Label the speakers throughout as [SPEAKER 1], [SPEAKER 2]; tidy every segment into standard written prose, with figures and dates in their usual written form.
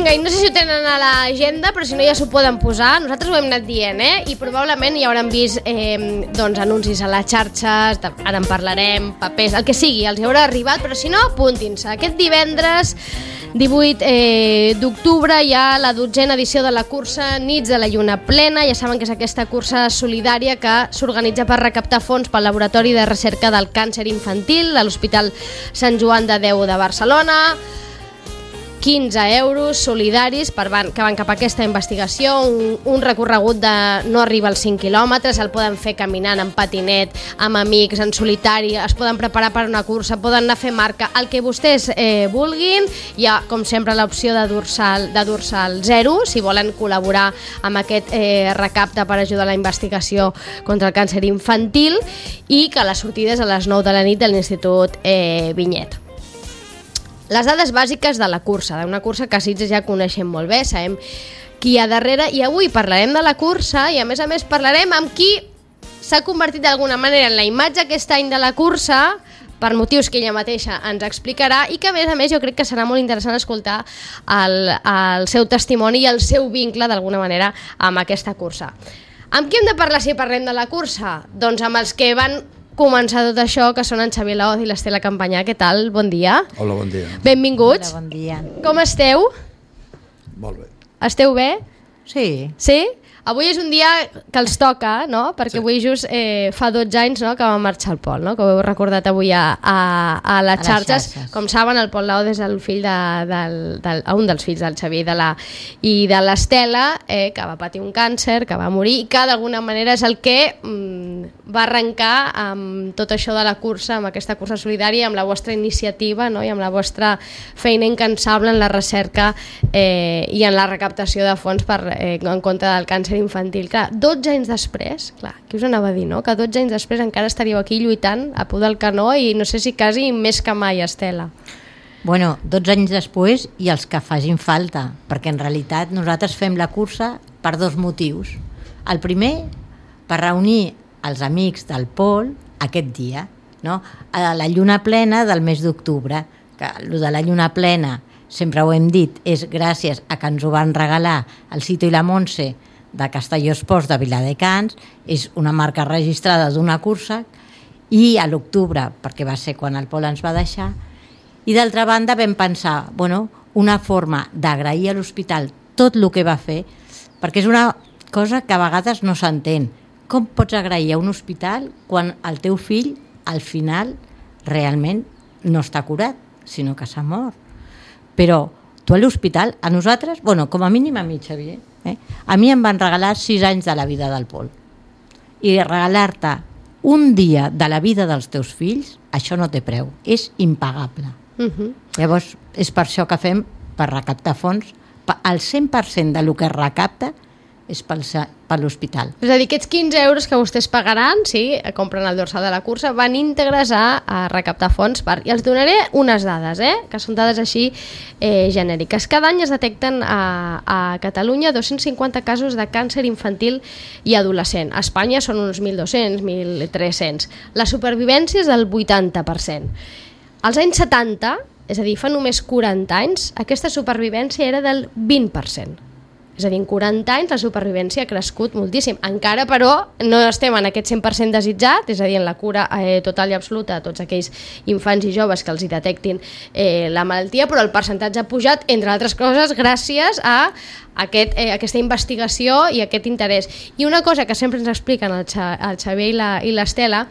[SPEAKER 1] Vinga, i no sé si ho tenen a l'agenda, però si no ja s'ho poden posar. Nosaltres ho hem anat dient, i probablement ja hauran vist doncs, anuncis a les xarxes, ara en parlarem, papers, el que sigui, els hi haurà arribat, però si no, apuntin-se. Aquest divendres 18 d'octubre hi ha la 12a edició de la cursa Nits de la Lluna Plena. Ja saben que és aquesta cursa solidària que s'organitza per recaptar fons pel Laboratori de Recerca del Càncer Infantil a l'Hospital Sant Joan de Déu de Barcelona. 15 euros solidaris que van cap a aquesta investigació, un recorregut de no arriba als 5 quilòmetres, el poden fer caminant, en patinet, amb amics, en solitari, es poden preparar per una cursa, poden anar a fer marca, el que vostès vulguin. Hi ha, com sempre, l'opció de dorsal 0, si volen col·laborar amb aquest recapte per ajudar a la investigació contra el càncer infantil, i que la sortida és a les 9 de la nit de l'Institut Vinyet. Les dades bàsiques de la cursa, d'una cursa que a Sitges ja coneixem molt bé, sabem qui hi ha darrere, i avui parlarem de la cursa i a més parlarem amb qui s'ha convertit d'alguna manera en la imatge aquest any de la cursa, per motius que ella mateixa ens explicarà, i que a més jo crec que serà molt interessant escoltar el seu testimoni i el seu vincle d'alguna manera amb aquesta cursa. Amb qui hem de parlar si parlem de la cursa? Doncs amb els que van començar tot això, que són en Xavier Laoz i l'Estela Campanyà. Què tal? Bon dia.
[SPEAKER 2] Hola, bon dia.
[SPEAKER 1] Benvinguts.
[SPEAKER 3] Hola, bon dia.
[SPEAKER 1] Com esteu?
[SPEAKER 2] Molt bé.
[SPEAKER 1] Esteu bé?
[SPEAKER 3] Sí.
[SPEAKER 1] Sí? Avui és un dia que els toca, no? Perquè avui just fa 12 anys, no?, que va marxar el Pol, no?, que ho heu recordat avui a les xarxes. Com saben, el Pol Laoz és el fill un dels fills del Xavier i de l'Estela, que va patir un càncer, que va morir, i que d'alguna manera és el que va arrencar amb tot això de la cursa, amb aquesta cursa solidària, amb la vostra iniciativa, no?, i amb la vostra feina incansable en la recerca i en la recaptació de fons en contra del càncer infantil. Clar, 12 anys després, clar, qui us anava a dir, no?, que 12 anys després encara estaríeu aquí lluitant a peu del canó, i no sé si quasi més que mai, Estela.
[SPEAKER 3] Bueno, 12 anys després i els que facin falta, perquè en realitat nosaltres fem la cursa per 2 motius. El primer, per reunir els amics del Pol aquest dia, no?, a la lluna plena del mes d'octubre, que el de la lluna plena, sempre ho hem dit, és gràcies a que ens ho van regalar el Cito i la Montse de Castelló Esports de Viladecans, és una marca registrada d'una cursa, i a l'octubre, perquè va ser quan el Pol ens va deixar, i d'altra banda vam pensar, una forma d'agrair a l'hospital tot el que va fer, perquè és una cosa que a vegades no s'entén. Com pots agrair a un hospital quan el teu fill al final realment no està curat, sinó que s'ha mort? Però tu a l'hospital, a nosaltres, com a mínim a mi, Xavier, a mi em van regalar 6 anys de la vida del Pol. I regalar-te un dia de la vida dels teus fills, això no té preu, és impagable. Llavors, és per això que fem, per recaptar fons, el 100% del que es recapta és per l'hospital.
[SPEAKER 1] És a dir, aquests 15 euros que vostès pagaran, si compren el dorsal de la cursa, van íntegres a recaptar fons. I els donaré unes dades, que són dades així genèriques. Cada any es detecten a Catalunya 250 casos de càncer infantil i adolescent. A Espanya són uns 1.200, 1.300. La supervivència és del 80%. Als anys 70, és a dir, fa només 40 anys, aquesta supervivència era del 20%. És a dir, en 40 anys la supervivència ha crescut moltíssim. Encara, però, no estem en aquest 100% desitjat, és a dir, en la cura total i absoluta de tots aquells infants i joves que els hi detectin la malaltia, però el percentatge ha pujat, entre altres coses, gràcies a aquesta investigació i aquest interès. I una cosa que sempre ens expliquen el Xavier i l'Estela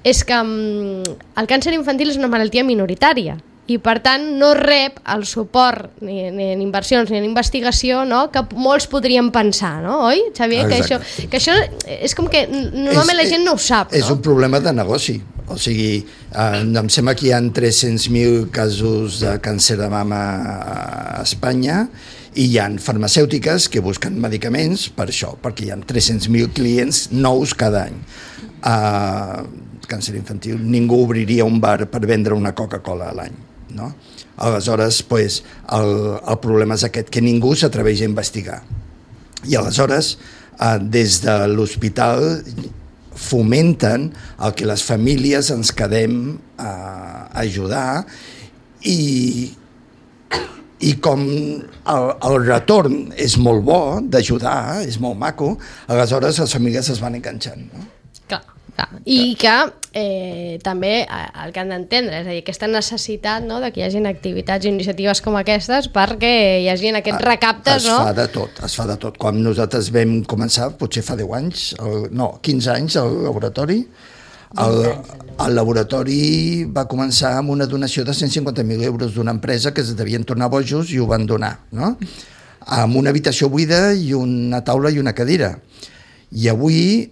[SPEAKER 1] és que el càncer infantil és una malaltia minoritària, i per tant no rep el suport ni en inversions ni en investigació, no?, que molts podrien pensar, no? Oi, Xavier? Que això és com que normalment la gent no ho sap, no?
[SPEAKER 2] És un problema de negoci. O sigui, em sembla que hi ha 300.000 casos de càncer de mama a Espanya, i hi ha farmacèutiques que busquen medicaments per això, perquè hi ha 300.000 clients nous cada any. Càncer infantil, ningú obriria un bar per vendre una Coca-Cola a l'any, no? Aleshores, el problema és aquest, que ningú s'atreveix a investigar. I aleshores, des de l'hospital fomenten el que les famílies ens quedem a ajudar, i I com el retorn és molt bo, d'ajudar, és molt maco, aleshores les famílies es van enganxant, no?
[SPEAKER 1] Clar. I que també el que han d'entendre, és a dir, aquesta necessitat, no?, de que hi hagin activitats i iniciatives com aquestes perquè hi hagin aquests recaptes, no?
[SPEAKER 2] Es fa de tot. Quan nosaltres vam començar, potser fa 10 anys, 15 anys, al laboratori, el laboratori va començar amb una donació de 150.000 euros d'una empresa que es devien tornar bojos i ho van donar, no? Amb una habitació buida i una taula i una cadira. I avui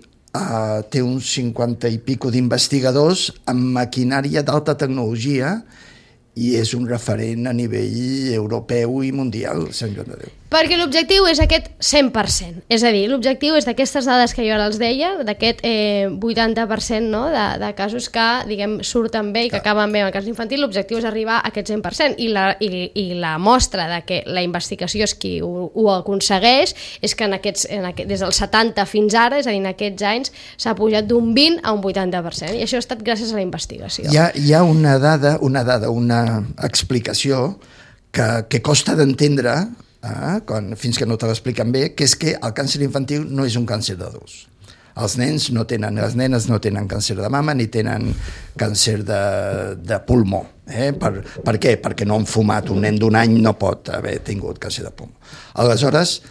[SPEAKER 2] té uns 50 i pico d'investigadors amb maquinària d'alta tecnologia i és un referent a nivell europeu i mundial, Sant Joan de Déu.
[SPEAKER 1] Perquè l'objectiu és aquest 100%, és a dir, l'objectiu és d'aquestes dades que jo ara els deia, d'aquest 80%, no?, de casos que, diguem, surten bé i que acaben bé en el cas infantil, l'objectiu és arribar a aquest 100%, i la mostra de que la investigació és qui ho aconsegueix, és que des dels 70 fins ara, és a dir, en aquests anys, s'ha pujat d'un 20 a un 80%, i això ha estat gràcies a la investigació.
[SPEAKER 2] Hi ha una dada, una explicació que costa d'entendre fins que no te l'expliquen bé, que és que el càncer infantil no és un càncer d'adults. Les nenes no tenen càncer de mama ni tenen càncer de pulmó. Per què? Perquè no han fumat. Un nen d'un any no pot haver tingut càncer de pulmó. Aleshores,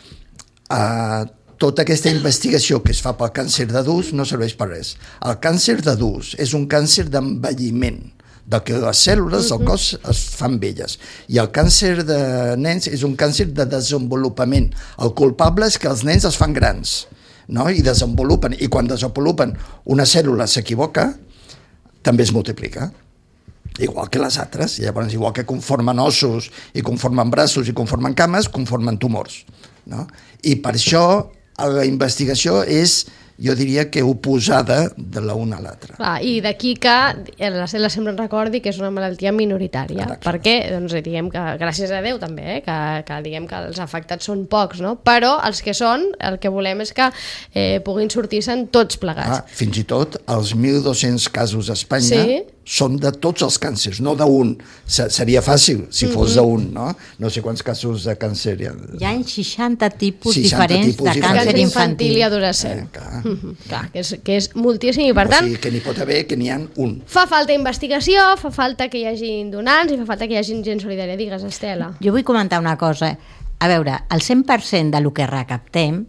[SPEAKER 2] tota aquesta investigació que es fa pel càncer d'adults no serveix per res. El càncer d'adults és un càncer d'envelliment, de que les cèl·lules del cos es fan velles. I el càncer de nens és un càncer de desenvolupament. El culpable és que els nens es fan grans, no? I desenvolupen. I quan desenvolupen una cèl·lula s'equivoca, també es multiplica. Igual que les altres. Llavors, igual que conformen ossos, i conformen braços, i conformen cames, conformen tumors, no? I per això la investigació és, jo diria que oposada de l'una a l'altra.
[SPEAKER 1] I d'aquí que la cel·la sempre ens recordi que és una malaltia minoritària, perquè doncs, diguem que, gràcies a Déu també, que diguem que els afectats són pocs, no? Però els que són, el que volem és que puguin sortir-se'n tots plegats.
[SPEAKER 2] Fins i tot els 1.200 casos a Espanya són de tots els càncers, no d'un. Seria fàcil si fos d'un, no? No sé quants casos de càncer hi ha.
[SPEAKER 3] Hi ha 60 tipus diferents de càncer infantil
[SPEAKER 1] i adolescent. Clar, que és moltíssim, i per tant...
[SPEAKER 2] O sigui, que n'hi pot haver, que n'hi ha un.
[SPEAKER 1] Fa falta investigació, fa falta que hi hagi donants i fa falta que hi hagi gent solidària. Digues, Estela.
[SPEAKER 3] Jo vull comentar una cosa. A veure, el 100% del que recaptem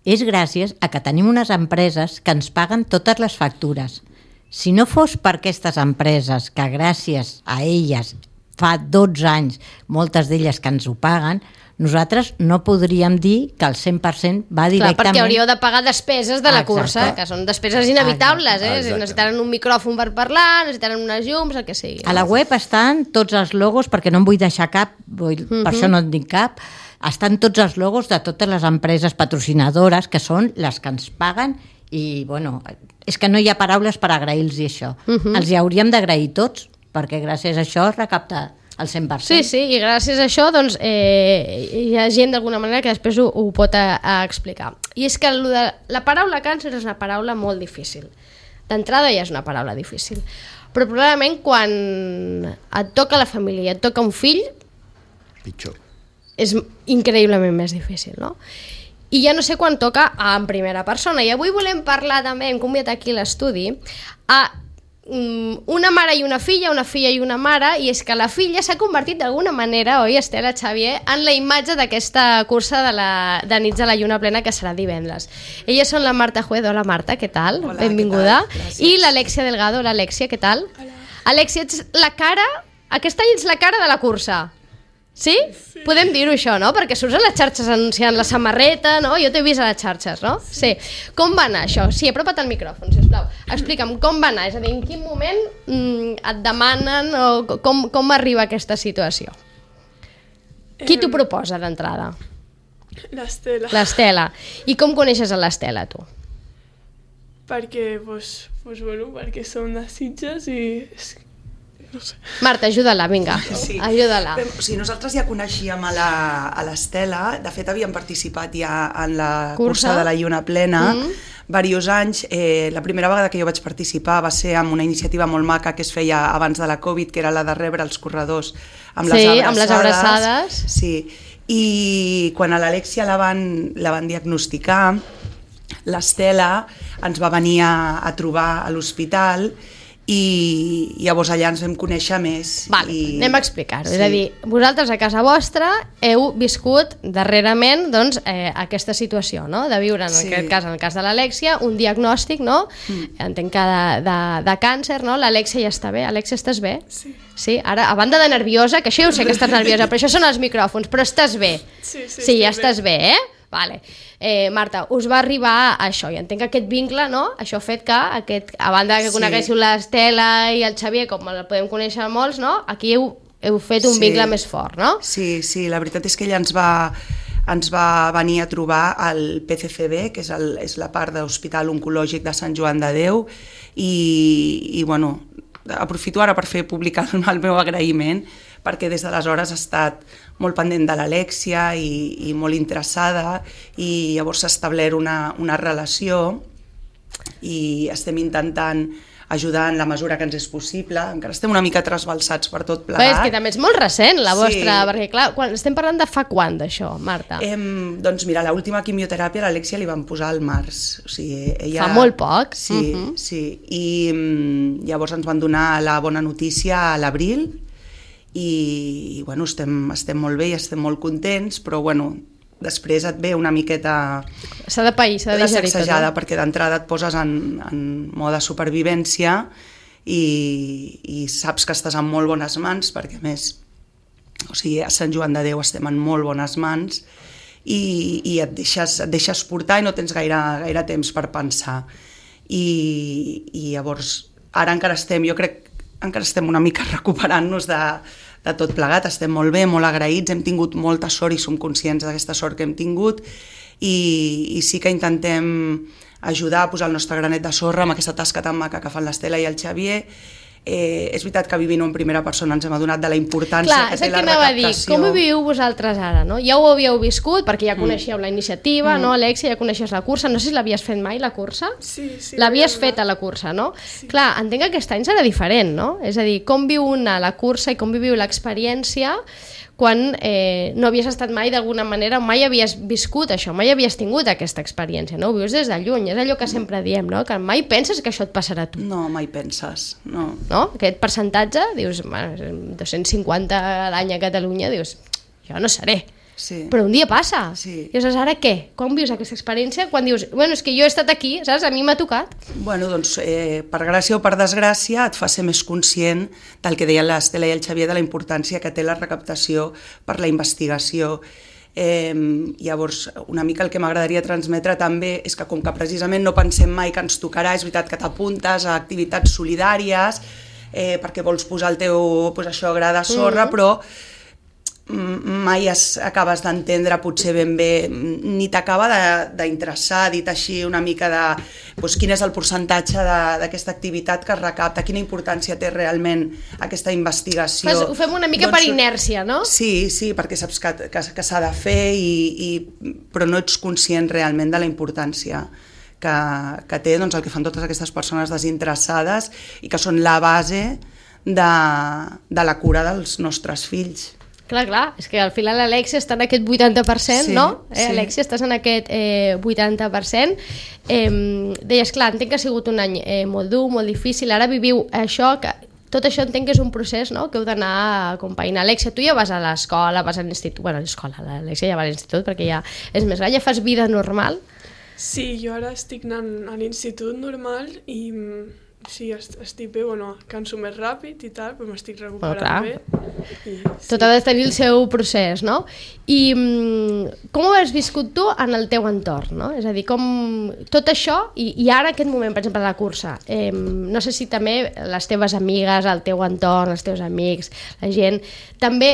[SPEAKER 3] és gràcies a que tenim unes empreses que ens paguen totes les factures. Si no fos per aquestes empreses, que gràcies a elles fa 12 anys, moltes d'elles que ens ho paguen, nosaltres no podríem dir que el 100% va directament...
[SPEAKER 1] Clar, perquè hauríeu de pagar despeses de la cursa, que són despeses inevitables, necessitaran un micròfon per parlar, necessitaran unes llums, el que sigui.
[SPEAKER 3] A la web estan tots els logos, perquè no en vull deixar cap, per això no en dic cap, estan tots els logos de totes les empreses patrocinadores, que són les que ens paguen, i bueno, és que no hi ha paraules per agrair-los això. Els hi hauríem d'agrair tots, perquè gràcies a això es recapta el 100%.
[SPEAKER 1] Sí, i gràcies a això doncs, hi ha gent d'alguna manera que després ho pot explicar. I és que la paraula càncer és una paraula molt difícil. D'entrada ja és una paraula difícil. Però probablement quan et toca la família i et toca un fill,
[SPEAKER 2] pitjor.
[SPEAKER 1] És increïblement més difícil, no? I ja no sé quan toca en primera persona. I avui volem parlar també, hem convidat aquí l'estudi, a una mare i una filla i una mare, i és que la filla s'ha convertit d'alguna manera, oi, Estela, Xavier, en la imatge d'aquesta cursa de Nits a la Lluna Plena, que serà divendres. Elles són la Marta Juez. Hola, Marta, què tal?
[SPEAKER 4] Hola,
[SPEAKER 1] benvinguda.
[SPEAKER 4] Què tal?
[SPEAKER 1] I l'Alexia Delgado. Hola, Alexia, què tal?
[SPEAKER 4] Hola.
[SPEAKER 1] Alexia, ets la cara, aquest any ets la cara de la cursa. Sí? Podem dir-ho, això, no? Perquè surts a les xarxes anunciant la samarreta, no? Jo t'he vist a les xarxes, no? Sí. Com va anar això? Sí, apropa't al micròfon, sisplau. Explica'm, com va anar? És a dir, en quin moment et demanen o com arriba aquesta situació? Qui t'ho proposa d'entrada?
[SPEAKER 4] L'Estela.
[SPEAKER 1] L'Estela. I com coneixes a l'Estela, tu?
[SPEAKER 4] Perquè, perquè som de Sitges i... No sé.
[SPEAKER 1] Marta, ajuda-la, vinga,
[SPEAKER 5] Sí.
[SPEAKER 1] ajuda-la.
[SPEAKER 5] O sigui, nosaltres ja coneixíem a l'Estela, de fet havíem participat ja en la cursa de la Lluna Plena, diversos anys. La primera vegada que jo vaig participar va ser amb una iniciativa molt maca que es feia abans de la Covid, que era la de rebre els corredors amb les abraçades.
[SPEAKER 1] Amb les abraçades.
[SPEAKER 5] Sí, i quan a l'Alexia la van diagnosticar, l'Estela ens va venir a trobar a l'hospital i llavors allà ens vam conèixer més.
[SPEAKER 1] Vale, anem a explicar-ho. Sí. És a dir, vosaltres a casa vostra heu viscut darrerament doncs, aquesta situació, no? De viure, en aquest cas, en el cas de l'Alexia, un diagnòstic, no? Entenc que de càncer, no? L'Alexia ja està bé. Alexia, estàs bé?
[SPEAKER 4] Sí.
[SPEAKER 1] Sí? Ara, a banda de nerviosa, que això ja ho sé que estàs nerviosa, però això són els micròfons, però estàs bé? Sí, ja estàs bé, Vale. Marta, us va arribar això, i entenc que aquest vincle, no? Això ha fet que, a banda que coneguéssiu l'Estela i el Xavier, com el podem conèixer molts, no? Aquí heu fet un vincle més fort, no?
[SPEAKER 5] Sí, la veritat és que ella ens va venir a trobar al PCCB, que és la part de l'Hospital Oncològic de Sant Joan de Déu, i bueno, aprofito ara per fer publicar el meu agraïment, perquè des d'aleshores ha estat molt pendent de l'Alexia i molt interessada, i llavors s'ha establert una relació i estem intentant ajudar en la mesura que ens és possible. Encara estem una mica trasbalsats per tot plegat.
[SPEAKER 1] És que també és molt recent la vostra, perquè clar, estem parlant de fa quan d'això, Marta?
[SPEAKER 5] Doncs mira, l'última quimioteràpia a l'Alexia li van posar al març. O sigui, ella...
[SPEAKER 1] Fa molt poc.
[SPEAKER 5] Sí. I llavors ens van donar la bona notícia a l'abril, i bueno, estem molt bé i estem molt contents, però bueno, després et ve una miqueta
[SPEAKER 1] s'ha de pair, s'ha de digerir tot,
[SPEAKER 5] sacsejada, perquè d'entrada et poses en mode supervivència i saps que estàs en molt bones mans, perquè a més, o sigui, a Sant Joan de Déu estem en molt bones mans i et deixes portar i no tens gaire temps per pensar, i llavors ara encara estem una mica recuperant-nos de tot plegat, estem molt bé, molt agraïts, hem tingut molta sort i som conscients d'aquesta sort que hem tingut, i sí que intentem ajudar a posar el nostre granet de sorra amb aquesta tasca tan maca que fan l'Estela i el Xavier. És veritat que vivint-ho en primera persona ens hem adonat de la importància que té la recaptació.
[SPEAKER 1] Com ho viviu vosaltres ara? No? Ja ho havíeu viscut, perquè ja coneixeu la iniciativa, no, Alexia, ja coneixes la cursa, no sé si l'havies fet mai, la cursa?
[SPEAKER 4] Sí.
[SPEAKER 1] L'havies fet a la cursa, no? Sí. Clar, entenc que aquest any serà diferent, no? És a dir, com viu una la cursa i com viviu l'experiència quan no havies estat mai d'alguna manera, mai havies viscut això, mai havies tingut aquesta experiència, no? Ho vius des de lluny, és allò que sempre diem, no? Que mai penses que això et passarà a tu.
[SPEAKER 5] No, mai penses, no.
[SPEAKER 1] No? Aquest percentatge, dius, 250 a l'any a Catalunya, dius, jo no seré.
[SPEAKER 5] Sí.
[SPEAKER 1] Però un dia passa.
[SPEAKER 5] Sí.
[SPEAKER 1] I aleshores, ara què? Com vius aquesta experiència? Quan dius, bueno, és que jo he estat aquí, saps? A mi m'ha tocat.
[SPEAKER 5] Bueno, doncs, per gràcia o per desgràcia, et fa ser més conscient del que deien l'Estela i el Xavier, de la importància que té la recaptació per la investigació. Llavors, una mica el que m'agradaria transmetre també és que, com que precisament no pensem mai que ens tocarà, és veritat que t'apuntes a activitats solidàries perquè vols posar el teu gra de sorra, però mai acabes d'entendre potser ben bé, ni t'acaba d'interessar, dit així una mica de quin és el percentatge d'aquesta activitat que es recapta, quina importància té realment aquesta investigació.
[SPEAKER 1] Ho fem una mica per inèrcia, no?
[SPEAKER 5] Sí, perquè saps que s'ha de fer, però no ets conscient realment de la importància que té el que fan totes aquestes persones desinteressades i que són la base de la cura dels nostres fills.
[SPEAKER 1] Clar, és que al final l'Alexia està en aquest 80%,
[SPEAKER 5] sí,
[SPEAKER 1] no?
[SPEAKER 5] Sí.
[SPEAKER 1] Alexia, estàs en aquest 80%. Deies, clar, entenc que ha sigut un any molt dur, molt difícil, ara viviu això, tot això entenc que és un procés, no?, que heu d'anar acompanyant. Alexia, tu ja vas a l'escola, vas a l'institut, bueno, a l'escola, l'Alexia ja va a l'institut perquè ja és més gran, ja fas vida normal?
[SPEAKER 4] Sí, jo ara estic anant a l'institut normal i sí, estic bé, bueno, canso més ràpid i tal, però m'estic recuperant bé. Sí.
[SPEAKER 1] Tot ha de tenir el seu procés, no? I com ho has viscut tu en el teu entorn, no? És a dir, com tot això, i ara aquest moment, per exemple, de la cursa, no sé si també les teves amigues, el teu entorn, els teus amics, la gent, també,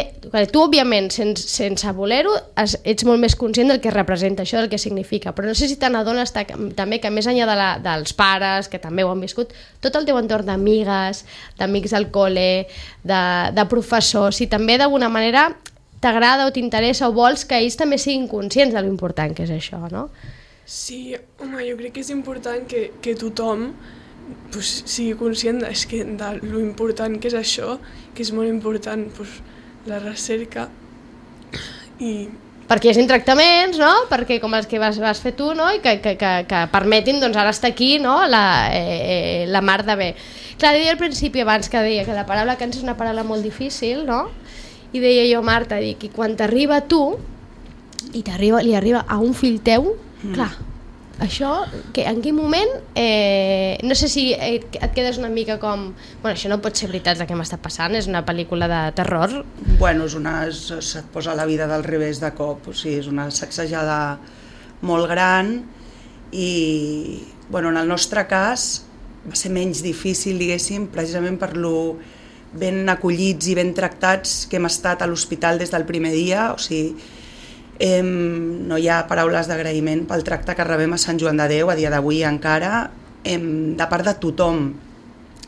[SPEAKER 1] tu òbviament, sense voler-ho, ets molt més conscient del que representa això, del que significa, però no sé si te n'adones també que més enllà dels pares, que també ho han viscut, tot el teu entorn d'amigues, d'amics del col·le, de professors, si també d'alguna manera t'agrada o t'interessa o vols que ells també siguin conscients de l'important que és això, no?
[SPEAKER 4] Sí, home, jo crec que és important que tothom pues, sigui conscient de lo important que és això, que és molt important pues, la recerca i...
[SPEAKER 1] Perquè hi hagi tractaments, no? Perquè com els que vas fer tu, no? I que permetin doncs, ara estar aquí, no? La mar de bé. Clar, deia al principi abans que deia que la paraula càncer és una paraula molt difícil, no? I deia jo, Marta, dic, i quan t'arriba a tu i li arriba a un fill teu, clar, això, en quin moment, no sé si et quedes una mica com, bueno, això no pot ser veritat el que m'està passant, és una pel·lícula de terror.
[SPEAKER 5] Bueno, se't posa la vida del revés de cop, o sigui, és una sacsejada molt gran i, bueno, en el nostre cas va ser menys difícil, diguéssim, precisament per lo ben acollits i ben tractats que hem estat a l'hospital des del primer dia, o sigui, no hi ha paraules d'agraïment pel tracte que rebem a Sant Joan de Déu a dia d'avui encara, de part de tothom.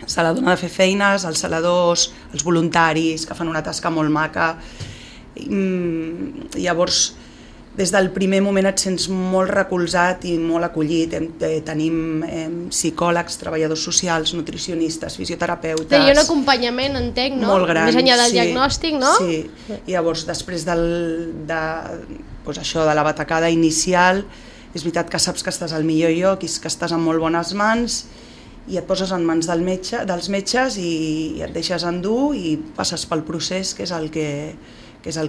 [SPEAKER 5] Se la dona de fer feines, els saladors, els voluntaris que fan una tasca molt maca. Llavors, des del primer moment et sents molt recolzat i molt acollit. Tenim psicòlegs, treballadors socials, nutricionistes, fisioterapeutes...
[SPEAKER 1] Hi ha un acompanyament, entenc, no?
[SPEAKER 5] Molt gran,
[SPEAKER 1] més enllà del diagnòstic, no?
[SPEAKER 5] Sí, i llavors després de la batacada inicial, és veritat que saps que estàs al millor lloc i que estàs en molt bones mans i et poses en mans dels metges i et deixes endur i passes pel procés, que és el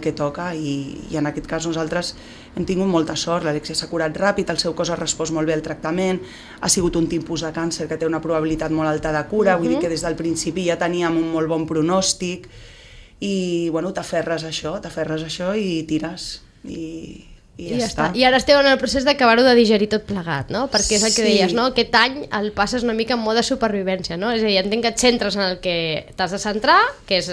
[SPEAKER 5] que toca i en aquest cas nosaltres hem tingut molta sort, l'Alexia s'ha curat ràpid, el seu cos ha respost molt bé al tractament, ha sigut un tipus de càncer que té una probabilitat molt alta de cura, vull dir que des del principi ja teníem un molt bon pronòstic i bueno, t'aferres a això i tires i ja està.
[SPEAKER 1] I ara esteu en el procés d'acabar-ho de digerir tot plegat, no? Perquè és el que deies, no? Aquest any el passes una mica en mode supervivència, no? És a dir, entenc que et centres en el que t'has de centrar, que és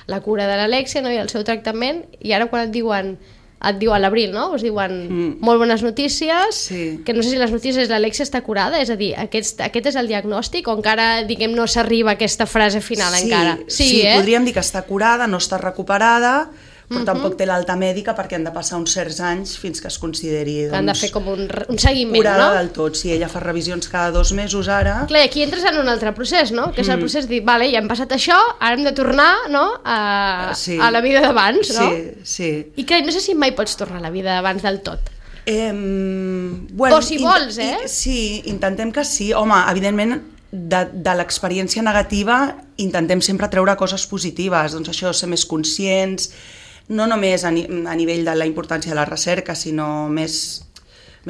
[SPEAKER 1] la cura de l'Alexia, no? I el seu tractament, i ara quan et diuen a l'abril, no? Us diuen molt bones notícies, que no sé si les notícies l'Alexia està curada, és a dir, aquest és el diagnòstic o encara, diguem, no s'arriba a aquesta frase final encara?
[SPEAKER 5] Sí, podríem dir que està curada, no està recuperada, però tampoc té l'alta mèdica perquè han de passar uns certs anys fins que es consideri
[SPEAKER 1] han de fer com un seguiment,
[SPEAKER 5] curada,
[SPEAKER 1] no?
[SPEAKER 5] del tot. Si ella fa revisions cada 2 mesos ara...
[SPEAKER 1] Clar, i aquí entres en un altre procés, no? Que és el procés de dir, vale, ja hem passat això, ara hem de tornar, no? A la vida d'abans, no?
[SPEAKER 5] Sí.
[SPEAKER 1] I clar, no sé si mai pots tornar a la vida d'abans del tot.
[SPEAKER 5] Bueno,
[SPEAKER 1] o si vols,
[SPEAKER 5] Sí, intentem que sí. Home, evidentment, de l'experiència negativa intentem sempre treure coses positives, doncs això, ser més conscients, no només a nivell de la importància de la recerca, sinó més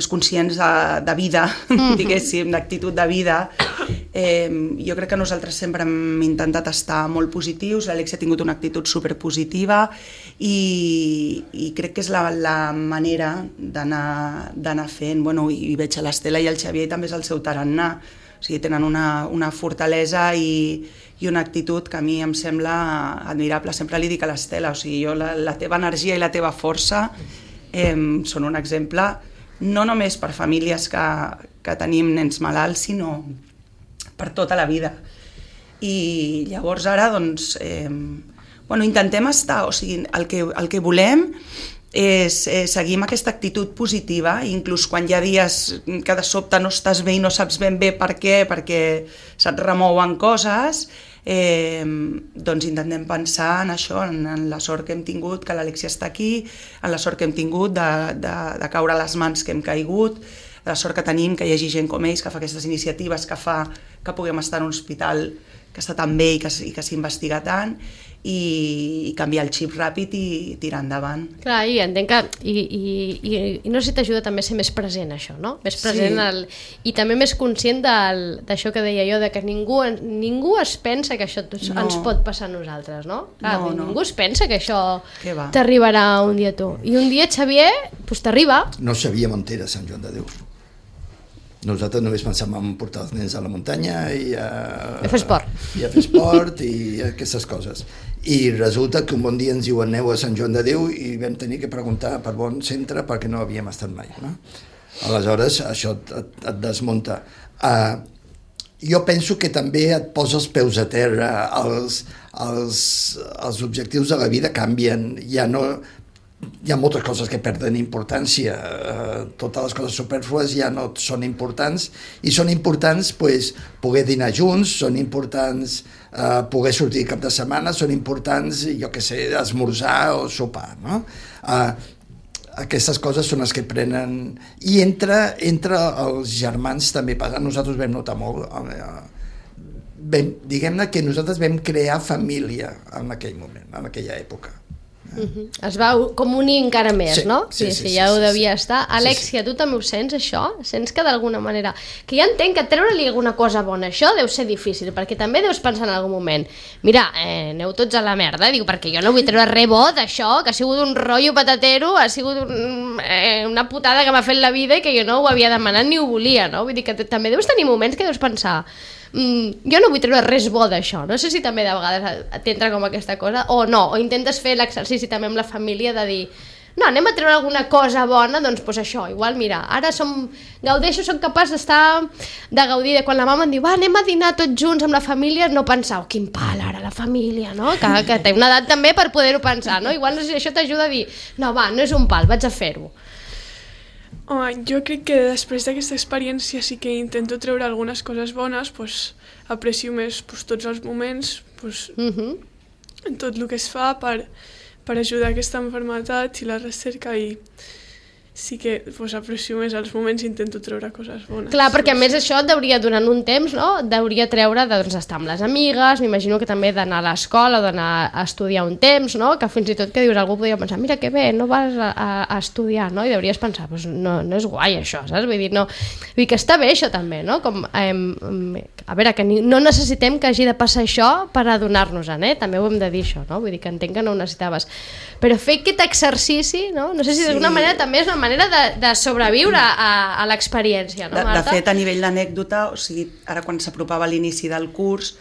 [SPEAKER 5] conscients de vida, diguéssim, d'actitud de vida. Jo crec que nosaltres sempre hem intentat estar molt positius, l'Alexia ha tingut una actitud superpositiva i crec que és la manera d'anar fent. Bueno, i veig a l'Estela i el Xavier també és el seu tarannà, o sigui, tenen una fortalesa i una actitud que a mi em sembla admirable. Sempre li dic a l'Estela, o sigui, la teva energia i la teva força són un exemple no només per famílies que tenim nens malalts, sinó per tota la vida. I llavors ara, doncs, intentem estar, o sigui, el que volem és seguir amb aquesta actitud positiva, inclús quan hi ha dies que de sobte no estàs bé i no saps ben bé per què, perquè se't remouen coses, doncs intentem pensar en això, en la sort que hem tingut, que l'Alexia està aquí, en la sort que hem tingut de caure a les mans que hem caigut, de la sort que tenim que hi hagi gent com ells que fa aquestes iniciatives, que fa que puguem estar en un hospital que està tan bé i que s'investiga tant, i canviar el xip ràpid i tirar endavant.
[SPEAKER 1] Clar, i entenc que i no sé si t'ajuda també a ser més present això, no? Més present i també més conscient d'això que deia jo, de que ningú es pensa que això ens pot passar a nosaltres, no? Clar, ningú es pensa que això t'arribarà un dia a tu. I un dia, Xavier, doncs t'arriba.
[SPEAKER 2] No sabíem on era Sant Joan de Déu. Nosaltres només pensàvem en portar els nens a la muntanya i a
[SPEAKER 1] fer esport.
[SPEAKER 2] I a fer esport i aquestes coses. I resulta que un bon dia ens diuen aneu a Sant Joan de Déu i vam tenir que preguntar per bon centre perquè no havíem estat mai. No? Aleshores, això et desmunta. Jo penso que també et posa els peus a terra, els objectius de la vida canvien, ja no... hi ha moltes coses que perden importància, totes les coses supèrflues ja no són importants, i són importants pues, poder dinar junts, són importants poder sortir cap de setmana, són importants, jo què sé, esmorzar o sopar, no? Aquestes coses són les que prenen, i entre els germans també passa. Nosaltres vam notar molt, diguem-ne que nosaltres vam crear família en aquell moment, en aquella època.
[SPEAKER 1] Es va com unir encara més,
[SPEAKER 2] sí,
[SPEAKER 1] no?
[SPEAKER 2] Sí,
[SPEAKER 1] ja ho devia estar. Alexia, tu també ho sents, això? Sents que d'alguna manera... Que ja entenc que treure-li alguna cosa bona, això deu ser difícil, perquè també deus pensar en algun moment, mira, aneu tots a la merda, dic, perquè jo no vull treure res bo d'això, que ha sigut un rotllo patatero, ha sigut una putada que m'ha fet la vida i que jo no ho havia demanat ni ho volia, no? Vull dir que també deus tenir moments que deus pensar... jo no vull treure res bo d'això, no sé si també de vegades t'entra com aquesta cosa o no, o intentes fer l'exercici també amb la família de dir, no, anem a treure alguna cosa bona, doncs això, igual mira, ara gaudeixo, soc capaç de gaudir de quan la mama em diu, va, anem a dinar tots junts amb la família, no pensar, oh, quin pal ara la família, no? Que té una edat també per poder-ho pensar, no? Igual no sé si això t'ajuda a dir, no, va, no és un pal, vaig a fer-ho.
[SPEAKER 4] Home, jo crec que després d'aquesta experiència sí que intento treure algunes coses bones, aprecio més tots els moments, en tot el que es fa per ajudar aquesta malaltia i la recerca, i sí que aprecio més els moments i intento treure coses bones.
[SPEAKER 1] Clar, perquè a més això et deuria, durant un temps, no? Deuria treure estar amb les amigues, m'imagino que també d'anar a l'escola o d'anar a estudiar un temps, no? Que fins i tot que dius, algú podria pensar, mira que bé, no vas a estudiar, no? I deuries pensar, no és guai això, saps? Vull dir, no, vull dir que està bé això també, no? Com, a veure, que no necessitem que hagi de passar això per adonar-nos-en, també ho hem de dir això, no? Vull dir que entenc que no ho necessitaves. Però fer aquest exercici, no? No sé si d'alguna manera també és una manera de sobreviure a l'experiència, no, Marta?
[SPEAKER 5] De fet, a nivell d'anècdota, o sigui, ara quan s'apropava l'inici del curs,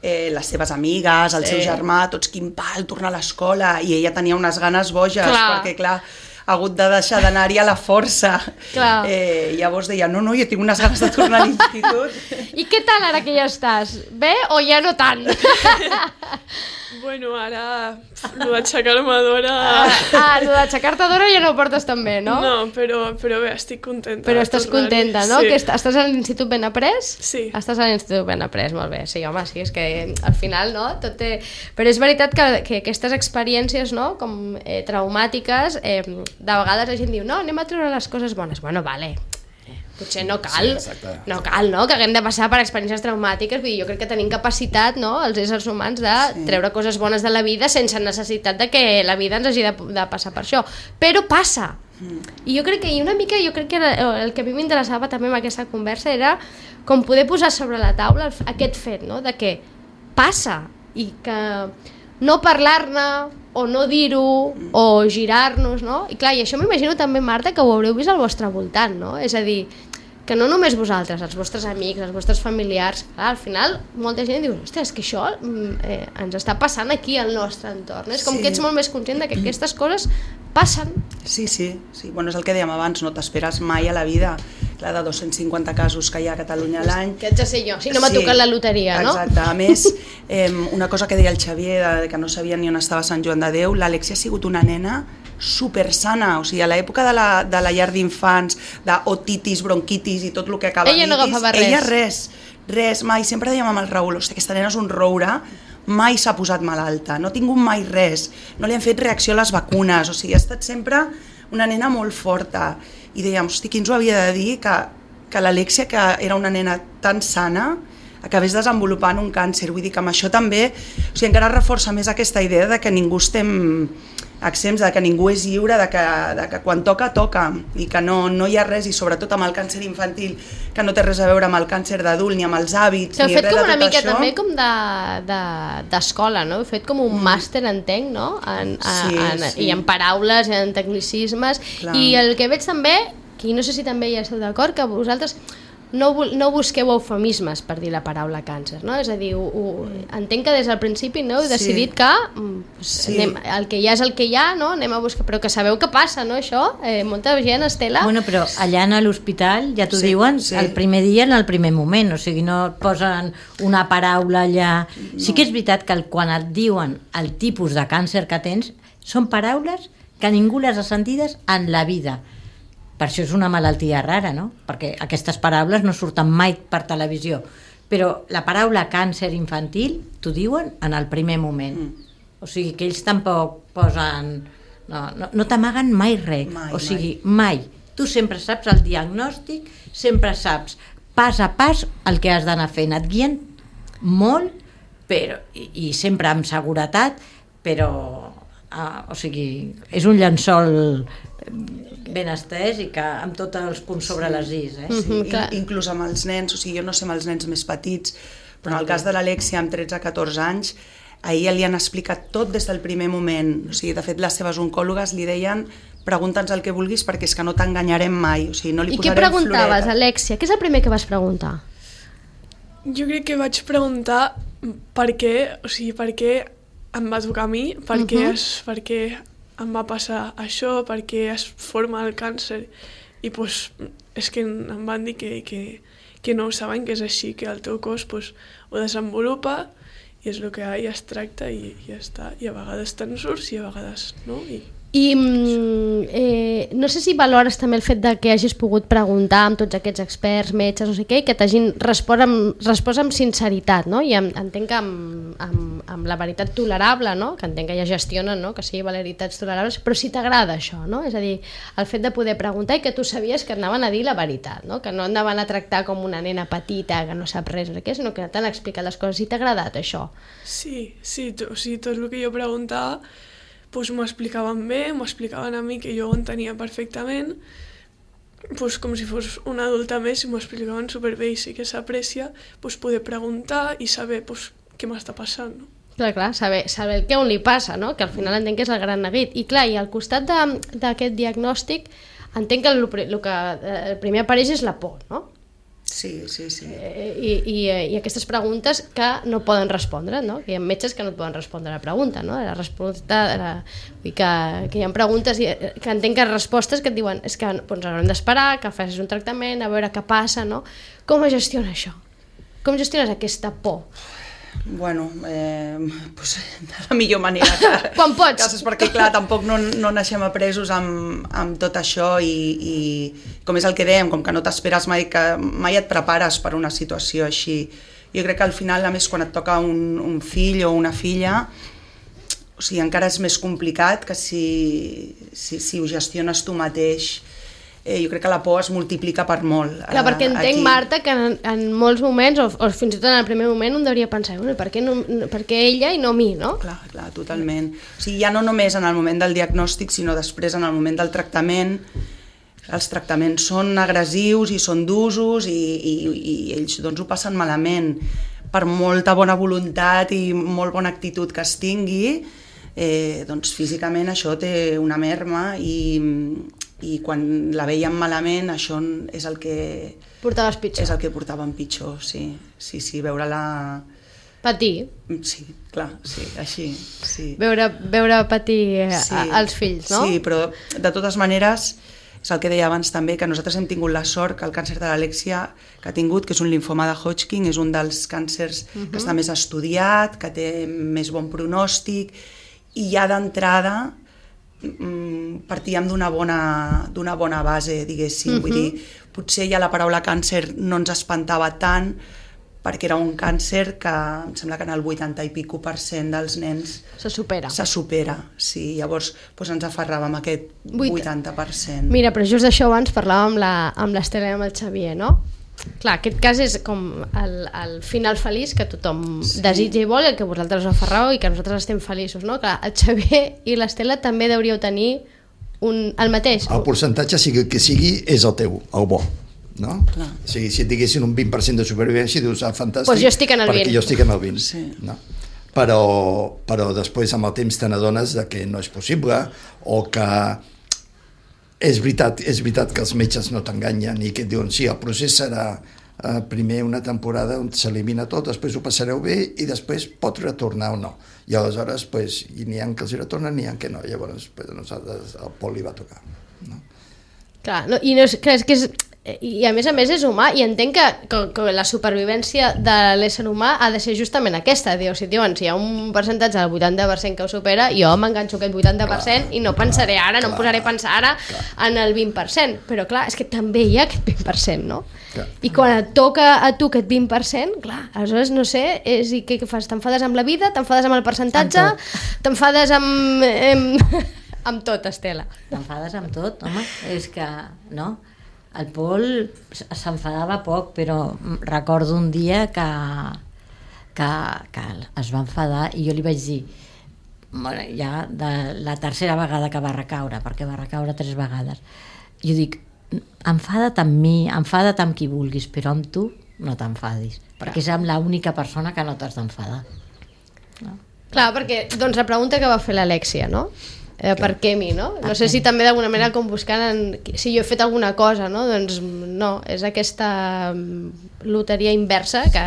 [SPEAKER 5] les seves amigues, el seu germà, tots quin pal, tornar a l'escola, i ella tenia unes ganes boges, perquè clar, ha hagut de deixar d'anar-hi a la força. Llavors deia, no, jo tinc unes ganes de tornar a l'institut.
[SPEAKER 1] I què tal ara que ja estàs? Bé o ja no tant?
[SPEAKER 4] Bueno, ara, el d'aixecar-me d'hora...
[SPEAKER 1] El d'aixecar-te d'hora ja no ho portes tan bé, no?
[SPEAKER 4] No, però bé, estic contenta.
[SPEAKER 1] Però estàs contenta, no?
[SPEAKER 4] Sí.
[SPEAKER 1] Que estàs a l'Institut Ben Après?
[SPEAKER 4] Sí.
[SPEAKER 1] Estàs a l'Institut Ben Après, molt bé. Sí, home, sí, és que al final, no? Tot té... Però és veritat que aquestes experiències, no? Com traumàtiques, de vegades la gent diu, no, anem a treure les coses bones. Bueno, vale, potser no cal, no cal, no? Que haguem de passar per experiències traumàtiques. Vull dir, jo crec que tenim capacitat, no? Els éssers humans de treure coses bones de la vida sense necessitat de que la vida ens hagi de passar per això. Però passa. I jo crec que el que a mi m'interessava també amb aquesta conversa era com poder posar sobre la taula aquest fet, no? De que passa i que no parlar-ne o no dir-ho o girar-nos, no? I clar, i això m'imagino també, Marta, que ho haureu vist al vostre voltant, no? És a dir, que no només vosaltres, els vostres amics, els vostres familiars, clar, al final molta gent diu, ostres, és que això ens està passant aquí al nostre entorn, és com que ets molt més conscient de que aquestes coses passen.
[SPEAKER 5] Sí, bueno, és el que dèiem abans, no t'esperes mai a la vida, clar, de 250 casos que hi ha a Catalunya a l'any.
[SPEAKER 1] Que haig de ser jo, si no m'ha tocat la loteria, no?
[SPEAKER 5] Exacte, a més, una cosa que deia el Xavier, que no sabia ni on estava Sant Joan de Déu, l'Alexia ha sigut una nena supersana, o sigui, a l'època de la llar d'infants, d'otitis, bronquitis i tot el que acaba
[SPEAKER 1] ella no agafava res.
[SPEAKER 5] Ella res, mai, sempre dèiem amb el Raül, hosti, aquesta nena és un roure, mai s'ha posat malalta, no ha tingut mai res, no li han fet reacció a les vacunes, o sigui, ha estat sempre una nena molt forta, i dèiem, hosti, qui ens ho havia de dir que l'Alexia, que era una nena tan sana, acabés desenvolupant un càncer, vull dir que amb això també, o sigui, encara reforça més aquesta idea de que ningú estem exempts, de que ningú és lliure, de que quan toca, i que no hi ha res, i sobretot amb el càncer infantil, que no té res a veure amb el càncer d'adult, ni amb els hàbits, ni res de tot això.
[SPEAKER 1] Heu fet com una mica també com d'escola, no? Heu fet com un màster, entenc, no? I en paraules, en tecnicismes, i el que veig també, que no sé si també hi esteu d'acord, que vosaltres no busqueu eufemismes per dir la paraula càncer, no? És a dir, entenc que des del principi heu decidit que el que hi ha és el que hi ha, no? Anem a buscar, però que sabeu què passa, no, això? Molta gent, Estela...
[SPEAKER 3] Bueno, però allà a l'hospital ja t'ho diuen el primer dia, en el primer moment, o sigui, no et posen una paraula allà... Sí que és veritat que quan et diuen el tipus de càncer que tens, són paraules que ningú les ha sentides en la vida. Per això és una malaltia rara, no? Perquè aquestes paraules no surten mai per televisió. Però la paraula càncer infantil t'ho diuen en el primer moment. O sigui que ells tampoc posen... No t'amaguen mai res. O sigui, mai. Tu sempre saps el diagnòstic, sempre saps pas a pas el que has d'anar fent. Et guien molt, però, i sempre amb seguretat, però o sigui, és un llençol ben estès i que amb tots els punts sobre les is.
[SPEAKER 5] Sí, inclús amb els nens, o sigui, jo no sé amb els nens més petits, però en el cas de l'Alexia amb 13-14 anys, a ella li han explicat tot des del primer moment. O sigui, de fet, les seves oncòlogues li deien pregunta'ns el que vulguis perquè és que no t'enganyarem mai. O sigui, no li
[SPEAKER 1] I què preguntaves, Alexia? Què és el primer que vas preguntar?
[SPEAKER 4] Jo crec que vaig preguntar per què, o sigui, per què em va tocar a mi, per què em va passar això, per què es forma el càncer. I pues, és que em van dir que no ho saben, que és així, que el teu cos pues, ho desenvolupa i és el que hi ha i es tracta i ja està. I a vegades te'n surts i a vegades no.
[SPEAKER 1] I no sé si valores també el fet de que hagis pogut preguntar amb tots aquests experts, metges, no sé què, i que t'hagin respost amb sinceritat, no? I entenc que amb la veritat tolerable, no? Que entenc que ja gestionen, no? Que sigui veritats tolerables, però si t'agrada això, no? És a dir, el fet de poder preguntar i que tu sabies que anaven a dir la veritat, no? Que no anaven a tractar com una nena petita que no sap res, no sé què, sinó que t'han explicat les coses. Si t'ha agradat això?
[SPEAKER 4] Sí, o sigui, tot el que jo preguntava pues m'ho explicaven bé, m'ho explicaven a mi que jo ho entenia perfectament, pues com si fos una adulta més i m'ho explicaven superbé i sí que s'aprecia pues poder preguntar i saber pues, què m'està passant. No?
[SPEAKER 1] Clar, saber el que on li passa, no? Que al final entenc que és el gran neguit. I clar, i al costat d'aquest diagnòstic entenc que el primer apareix és la por, no?
[SPEAKER 5] Sí.
[SPEAKER 1] I aquestes preguntes que no poden respondre, no? Que hi ha metges que no et poden respondre a la pregunta, no? La resposta, que hi ha preguntes que entenc que respostes que et diuen és que doncs, haurem d'esperar, que facis un tractament, a veure què passa, no? Com es gestiona això? Com gestiones aquesta por?
[SPEAKER 5] Bueno, pues, de la millor manera
[SPEAKER 1] quan pots,
[SPEAKER 5] perquè clar, tampoc no naixem apresos amb tot això i com és el que dèiem, com que no t'esperes mai, que mai et prepares per una situació així. Jo crec que al final, a més, quan et toca un fill o una filla, o sigui, encara és més complicat que si ho gestiones tu mateix. Jo crec que la por es multiplica per molt.
[SPEAKER 1] Clar, perquè entenc, Marta, que en molts moments, o fins i tot en el primer moment, un hauria pensar, bueno, per què ella i no mi, no?
[SPEAKER 5] Clar, totalment. O sigui, ja no només en el moment del diagnòstic, sinó després en el moment del tractament. Els tractaments són agressius i són d'usos i ells doncs, ho passen malament. Per molta bona voluntat i molt bona actitud que es tingui, doncs físicament això té una merma i quan la veiem malament això és el que
[SPEAKER 1] portaves pitjor.
[SPEAKER 5] És el que portàvem pitjor, sí, veure-la
[SPEAKER 1] patir.
[SPEAKER 5] Sí, clar, sí, així, sí.
[SPEAKER 1] Veure patir als fills, no?
[SPEAKER 5] Sí, però de totes maneres és el que deia abans també, que nosaltres hem tingut la sort que el càncer de l'Alexia que ha tingut, que és un linfoma de Hodgkin, és un dels càncers que està més estudiat, que té més bon pronòstic i ja d'entrada partíem d'una bona base, diguéssim. Vull dir, potser ja la paraula càncer no ens espantava tant perquè era un càncer que em sembla que en el 80 i pico % dels nens
[SPEAKER 1] se supera,
[SPEAKER 5] sí. Llavors doncs ens aferràvem a aquest 80%.
[SPEAKER 1] Mira, però just d'això abans parlàvem amb l'Estela i amb el Xavier, no? Clar, aquest cas és com el final feliç que tothom desitja i vol, el que vosaltres us aferrau i que nosaltres estem feliços, no? Clar, el Xavier i l'Estela també hauríeu tenir el mateix.
[SPEAKER 2] El percentatge, sigui que sigui, és el teu, el bo, no?
[SPEAKER 5] Clar.
[SPEAKER 2] O sigui, si et diguessin un 20% de supervivència, dius, fantàstic,
[SPEAKER 1] pues jo estic en el 20.
[SPEAKER 2] perquè jo estic en el 20.
[SPEAKER 5] Sí.
[SPEAKER 2] No? Però després amb el temps te n'adones que no és possible o que és veritat que els metges no t'enganyen i que et diuen sí, el procés serà primer una temporada on s'elimina tot, després ho passareu bé i després pot retornar o no. I aleshores n'hi ha que els retornen, n'hi ha que no. Llavors a nosaltres el Pol li va tocar. No?
[SPEAKER 1] Clar, no, i no és, clar, és que és, i a més és humà, i entenc que la supervivència de l'ésser humà ha de ser justament aquesta, diu, si hi ha un percentatge del 80% que ho supera, jo m'enganxo aquest 80% i no pensaré ara, no em posaré a pensar ara en el 20%, però clar, és que també hi ha aquest 20%, no? I quan et toca a tu aquest 20%, clar, aleshores no sé, i què fas? T'enfades amb la vida, t'enfades amb el percentatge, t'enfades amb tot, Estela.
[SPEAKER 3] T'enfades amb tot, home, és que, no? El Pol s'enfadava poc, però recordo un dia que es va enfadar i jo li vaig dir, bueno, ja de la tercera vegada que va recaure, perquè va recaure 3 vegades, jo dic, enfada't amb mi, enfada't amb qui vulguis, però amb tu no t'enfadis, perquè és amb l'única persona que no t'has d'enfadar. No?
[SPEAKER 1] Clar, perquè doncs la pregunta que va fer l'Alèxia, no? Per què mi, no? No sé si també d'alguna manera com buscant si jo he fet alguna cosa, no? Doncs no, és aquesta loteria inversa que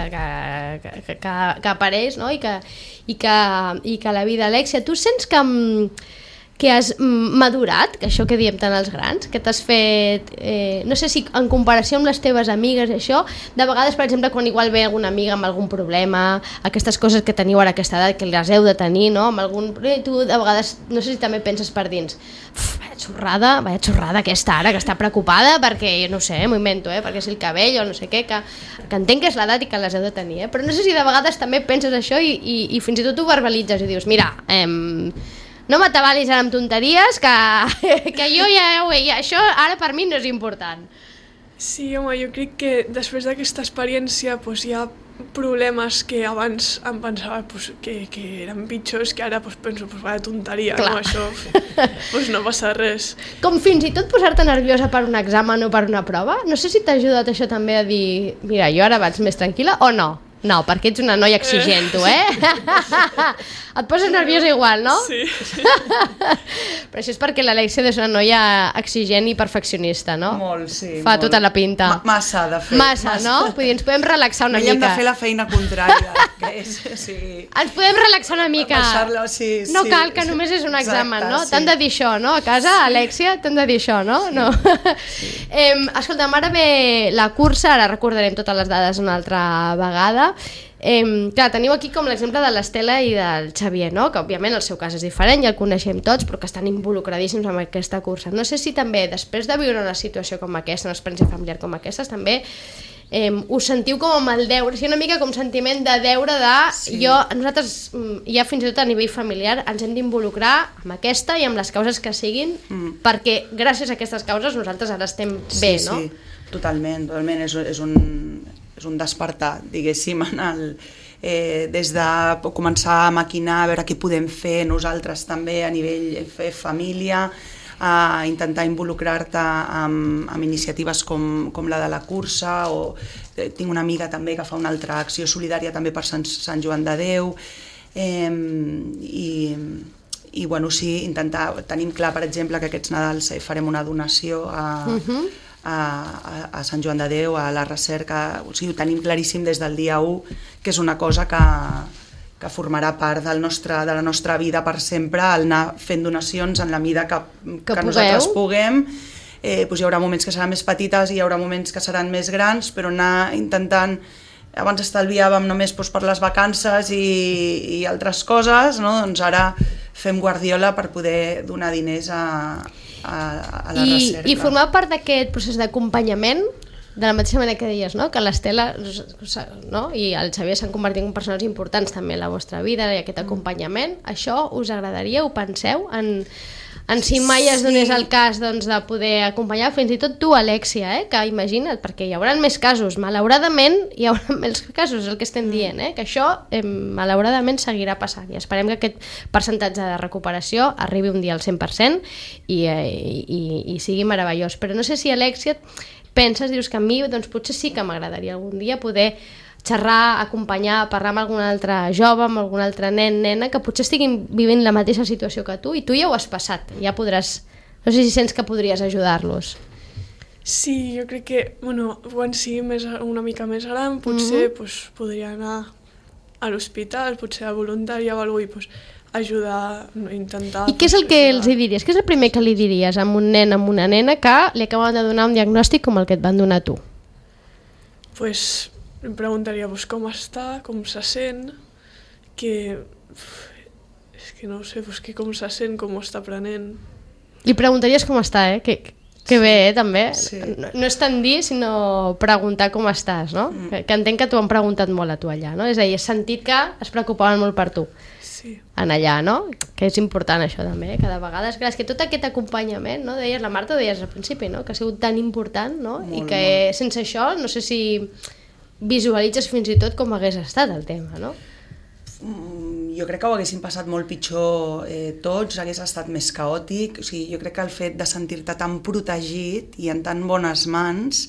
[SPEAKER 1] apareix, no? I que la vida, Alèxia, tu sents que has madurat, que això que diem tant els grans, que t'has fet, no sé si en comparació amb les teves amigues, això, de vegades, per exemple, quan igual ve alguna amiga amb algun problema, aquestes coses que teniu ara a aquesta edat, que les heu de tenir, no? Amb algun... Tu, de vegades, no sé si també penses per dins, vaya xorrada aquesta ara, que està preocupada perquè, no sé, m'ho invento, perquè és el cabell o no sé què, que entenc que és l'edat i que les heu de tenir, però no sé si de vegades també penses això i fins i tot ho verbalitzes i dius, mira, no m'atabalis ara amb tonteries, que jo ja això ara per mi no és important.
[SPEAKER 4] Sí, home, jo crec que després d'aquesta experiència hi ha problemes que abans em pensava que eren pitjors, que ara penso, vaya tonteria, no? Això no passa res.
[SPEAKER 1] Com fins i tot posar-te nerviosa per un examen o per una prova? No sé si t'ha ajudat això també a dir, mira, jo ara vaig més tranquil·la o no? No, perquè ets una noia exigent, tu, Et poses nerviosa igual, no?
[SPEAKER 4] Sí.
[SPEAKER 1] Però això és perquè l'Alèxia és una noia exigent i perfeccionista, no?
[SPEAKER 5] Molt, sí.
[SPEAKER 1] Fa tota la pinta.
[SPEAKER 5] Massa, de fet.
[SPEAKER 1] Massa, no? Vull dir, ens podem relaxar una mica.
[SPEAKER 5] Hem de fer la feina contrària. Sí.
[SPEAKER 1] Ens podem relaxar una mica. No cal, que només és un examen, no? T'han de dir això, no? A casa, Alèxia, t'han de dir això, no? Escolta'm, ara ve la cursa, ara recordarem totes les dades una altra vegada. Clar, teniu aquí com l'exemple de l'Estela i del Xavier, no? Que òbviament el seu cas és diferent, ja el coneixem tots, però que estan involucradíssims en aquesta cursa. No sé si també, després de viure una situació com aquesta, una experiència familiar com aquesta, també us sentiu com amb el deure, una mica com sentiment de deure de... Sí. Nosaltres, ja fins i tot a nivell familiar, ens hem d'involucrar amb aquesta i amb les causes que siguin, perquè gràcies a aquestes causes nosaltres ara estem bé, no?
[SPEAKER 5] Sí, totalment. És un despertar, diguéssim, des de començar a maquinar, a veure què podem fer nosaltres també a nivell família, a intentar involucrar-te amb iniciatives com la de la cursa, o tinc una amiga també que fa una altra acció solidària també per Sant Joan de Déu, i bueno, sí, tenim clar, per exemple, que aquests Nadals farem una donació a Sant Joan de Déu, a la recerca, o sigui, ho tenim claríssim des del dia 1, que és una cosa que formarà part de la nostra vida per sempre, el anar fent donacions en la mida que nosaltres puguem. Hi haurà moments que seran més petites i hi haurà moments que seran més grans, però anar intentant, abans estalviàvem només per les vacances i altres coses, no? Doncs ara fem guardiola per poder donar diners a la recerca.
[SPEAKER 1] I formar part d'aquest procés d'acompanyament, de la mateixa manera que deies, no? Que l'Estela, no? I el Xavier s'han convertit en persones importants també en la vostra vida i aquest acompanyament, això us agradaria, ho penseu? En si mai es donés el cas de poder acompanyar, fins i tot tu, Alèxia, que imagina't, perquè hi haurà més casos, malauradament hi haurà més casos, és el que estem dient, que això malauradament seguirà passant, i esperem que aquest percentatge de recuperació arribi un dia al 100% i sigui meravellós. Però no sé si, Alèxia, penses, dius que a mi potser sí que m'agradaria algun dia poder xerrar, acompanyar, parlar amb algun altre jove, amb algun altre nen, nena, que potser estiguin vivint la mateixa situació que tu, i tu ja ho has passat, ja podràs, no sé si sents que podries ajudar-los.
[SPEAKER 4] Sí, jo crec que, quan sigui una mica més gran, potser podria anar a l'hospital, potser a voluntària o alguna cosa, ajudar, intentar...
[SPEAKER 1] I què és el que els hi diries? Què és el primer que li diries a un nen, a una nena que li acaben de donar un diagnòstic com el que et van donar tu?
[SPEAKER 4] Pues em preguntaria com està, com se sent, és que no ho sé, que com se sent, com ho està prenent.
[SPEAKER 1] Li preguntaries com està, Que bé, també.
[SPEAKER 5] Sí.
[SPEAKER 1] No és tant dir, sinó preguntar com estàs, no? Que entenc que t'ho han preguntat molt a tu allà, no? És a dir, has sentit que es preocupaven molt per tu.
[SPEAKER 4] Sí.
[SPEAKER 1] En allà, no? Que és important això també, cada vegada. És que tot aquest acompanyament, no? Deies, la Marta ho deies al principi, no? Que ha sigut tan important, no? I que sense això, no sé si visualitzes fins i tot com hagués estat el tema, no?
[SPEAKER 5] Jo crec que ho haguessin passat molt pitjor tots, hagués estat més caòtic. O sigui, jo crec que el fet de sentir-te tan protegit i en tan bones mans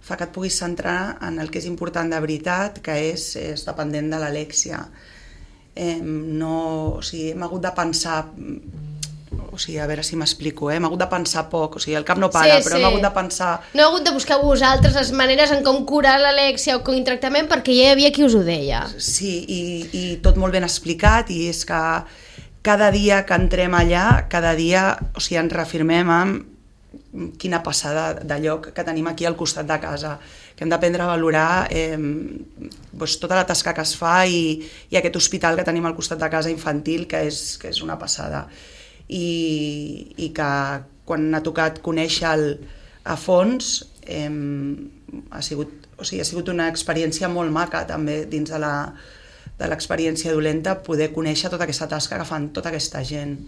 [SPEAKER 5] fa que et puguis centrar en el que és important de veritat, que és dependent de l'Alèxia. O sigui, hem hagut de pensar... O sigui, a veure si m'explico, hem hagut de pensar poc, o sigui, el cap no para, però hem hagut de pensar...
[SPEAKER 1] No heu hagut de buscar vosaltres les maneres en com curar l'Alèxia o com tractament, perquè ja hi havia qui us ho deia.
[SPEAKER 5] Sí, i tot molt ben explicat, i és que cada dia que entrem allà, cada dia, o sigui, ens reafirmem amb quina passada de lloc que tenim aquí al costat de casa, que hem d'aprendre a valorar tota la tasca que es fa i aquest hospital que tenim al costat de casa infantil, que és una passada. I que quan ha tocat conèixer a fons ha sigut una experiència molt maca també dins de l'experiència dolenta, poder conèixer tota aquesta tasca que fan tota aquesta gent.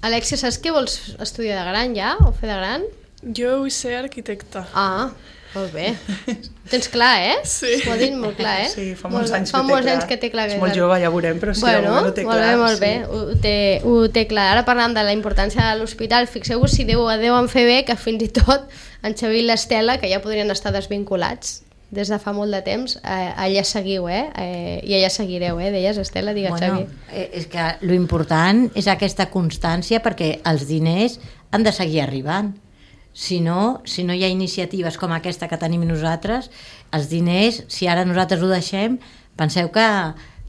[SPEAKER 1] Alèxia, saps què vols estudiar de gran ja? O fer de gran?
[SPEAKER 4] Jo vull ser arquitecta.
[SPEAKER 1] Ah, molt bé. Ho tens clar,
[SPEAKER 4] Sí.
[SPEAKER 1] Ho ha dit molt clar,
[SPEAKER 5] Sí, fa molts anys
[SPEAKER 1] que té clar.
[SPEAKER 5] És molt jove, ja veurem, però sí, ho té clar.
[SPEAKER 1] Molt bé. Ho té clar. Ara parlant de la importància de l'hospital, fixeu-vos si deuen fer bé que fins i tot en Xavi i l'Estela, que ja podrien estar desvinculats des de fa molt de temps, allà seguiu, i allà seguireu, deies, Estela, digues, Xavi.
[SPEAKER 3] És que l'important és aquesta constància, perquè els diners han de seguir arribant. Si no hi ha iniciatives com aquesta que tenim nosaltres, els diners, si ara nosaltres ho deixem, penseu que,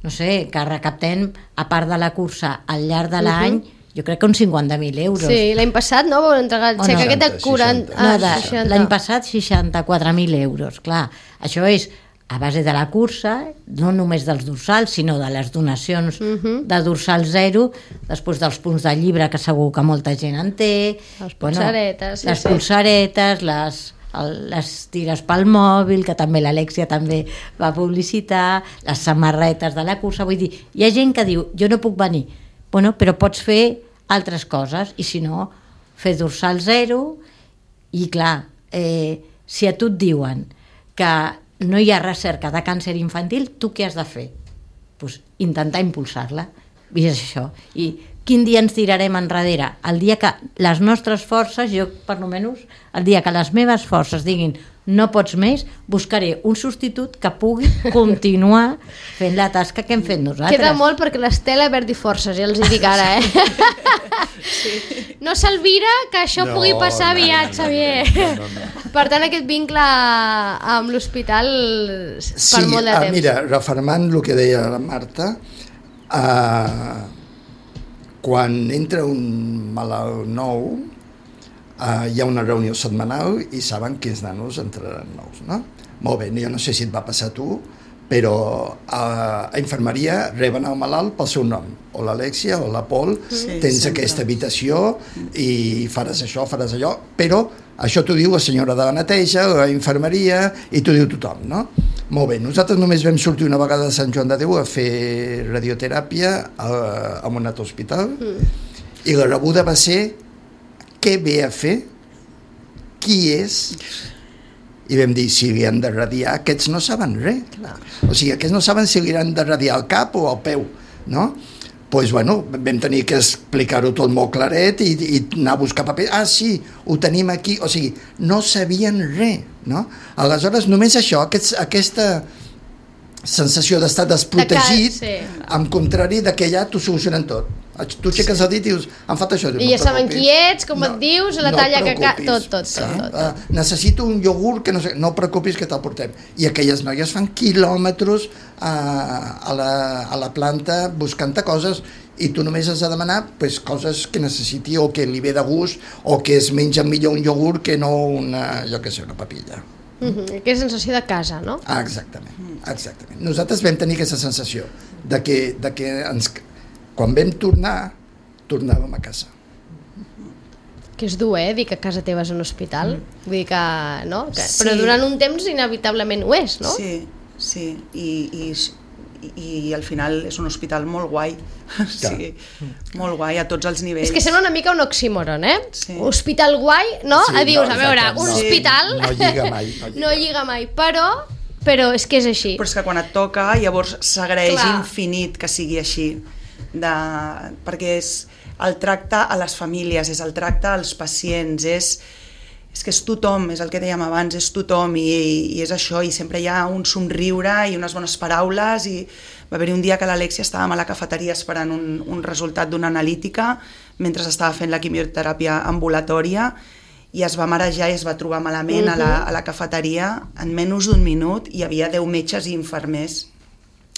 [SPEAKER 3] no sé, que recaptem, a part de la cursa, al llarg de l'any, jo crec que uns 50.000 euros.
[SPEAKER 1] Sí, l'any passat, no? Vau entregar el xec aquest de 40...
[SPEAKER 3] L'any passat 64.000 euros, clar. Això és a base de la cursa, no només dels dorsals, sinó de les donacions de dorsal zero, després dels punts de llibre, que segur que molta gent en té,
[SPEAKER 1] les polsaretes,
[SPEAKER 3] polsaretes, les tires pel mòbil, que també l'Alèxia també va publicitar, les samarretes de la cursa, vull dir, hi ha gent que diu, jo no puc venir, però pots fer altres coses, i si no, fer dorsal zero, i clar, si a tu et diuen que no hi ha recerca de càncer infantil, tu què has de fer? Pues intentar impulsar-la. I és això. I quin dia ens tirarem enrere? El dia que les nostres forces, jo per almenys, el dia que les meves forces diguin no pots més, buscaré un substitut que pugui continuar fent la tasca que hem fet nosaltres.
[SPEAKER 1] Queda molt perquè l'Estela perdi forces, ja els hi dic ara, Sí. No s'alvira que això pugui passar aviat, Xavier. Per tant, aquest vincle amb l'hospital per molt de temps.
[SPEAKER 2] Mira, refermant el que deia la Marta, quan entra un malalt nou, hi ha una reunió setmanal i saben quins nanos entraran nous, no? Molt bé, jo no sé si et va passar a tu, però a infermeria reben el malalt pel seu nom, o l'Alèxia o la Pol, tens aquesta habitació i faràs això, faràs allò, però això t'ho diu la senyora de la neteja, la infermeria, i t'ho diu tothom, no? Molt bé, nosaltres només vam sortir una vegada de Sant Joan de Déu a fer radioteràpia a un altre hospital, i la rebuda va ser què ve a fer, qui és, i vam dir, si li han de radiar, aquests no saben res. O sigui, aquests no saben si li han de radiar al cap o al peu, no? Doncs, bueno, vam tenir que explicar-ho tot molt claret i anar a buscar paper. Ah, sí, ho tenim aquí. O sigui, no sabien res, no? Aleshores, només això, aquesta sensació d'estar desprotegit, en contrari de que allà t'ho solucionen tot. Tu aixeques el dit i dius, em falta això.
[SPEAKER 1] I ja saben qui ets, com et dius, la talla que... Tot.
[SPEAKER 2] Necessito un iogurt que no et preocupis que te'l portem. I aquelles noies fan quilòmetres a la planta buscant coses i tu només has de demanar pues, coses que necessiti o que li ve de gust o que es menja millor un iogurt que no una, jo què sé, una papilla.
[SPEAKER 1] Aquesta sensació de casa, no?
[SPEAKER 2] Exactament. Nosaltres vam tenir aquesta sensació de que quan vam tornar, tornàvem a casa.
[SPEAKER 1] Que és dur, dir que casa teva és un hospital. Vull dir que, no? Però durant un temps inevitablement ho és, no?
[SPEAKER 5] Sí. I al final és un hospital molt guai. Sí, molt guai a tots els nivells.
[SPEAKER 1] És que sembla una mica un oxímoron,
[SPEAKER 5] Sí.
[SPEAKER 1] Hospital guai, no?
[SPEAKER 2] Sí,
[SPEAKER 1] Dius, a veure, un hospital...
[SPEAKER 2] No lliga mai.
[SPEAKER 1] No lliga mai, però és que és així.
[SPEAKER 5] Però és que quan et toca, llavors s'agraeix
[SPEAKER 1] Clar.
[SPEAKER 5] infinit que sigui així. Perquè és el tracte a les famílies, és el tracte als pacients, és que és tothom, és el que dèiem abans, és tothom i és això, i sempre hi ha un somriure i unes bones paraules, i va haver-hi un dia que l'Alexia estàvem a la cafeteria esperant un resultat d'una analítica mentre estava fent la quimioteràpia ambulatòria i es va marejar i es va trobar malament a la cafeteria. En menys d'un minut hi havia 10 metges i infermers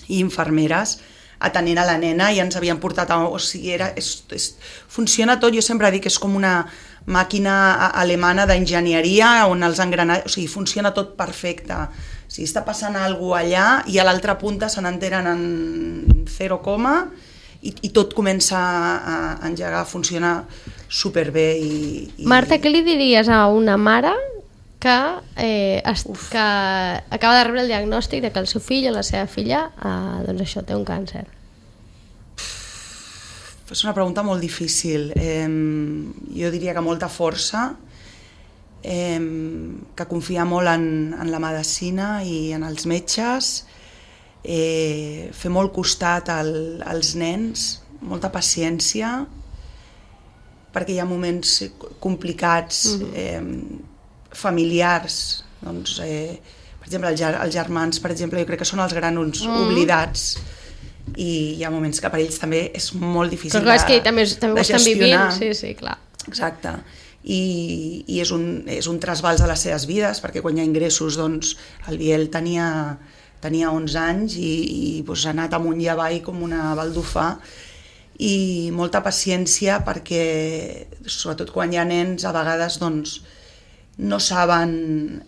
[SPEAKER 5] i infermeres atenent a la nena i ens havien portat o sigui, funciona tot, jo sempre dic que és com una màquina alemana d'enginyeria on els engranatges, o sigui, funciona tot perfecte. O sigui, està passant alguna cosa allà i a l'altra punta se n'enteren en 0, i tot comença a engegar, a funcionar superbé.
[SPEAKER 1] Marta, què li diries a una mare que acaba de rebre el diagnòstic de que el seu fill o la seva filla doncs això, té un càncer?
[SPEAKER 5] És una pregunta molt difícil. Jo diria que molta força, que confia molt en la medicina i en els metges, fer molt costat als nens, molta paciència, perquè hi ha moments complicats, familiars, doncs, per exemple, els germans, per exemple, jo crec que són els grans oblidats, i hi ha moments que per ells també és molt difícil
[SPEAKER 1] de gestionar. També ho estan vivint, sí, clar.
[SPEAKER 5] Exacte. I és un trasbals de les seves vides, perquè quan hi ha ingressos, doncs, el Biel tenia 11 anys i doncs, ha anat amunt i avall com una baldufà, i molta paciència perquè, sobretot quan hi ha nens, a vegades doncs, no saben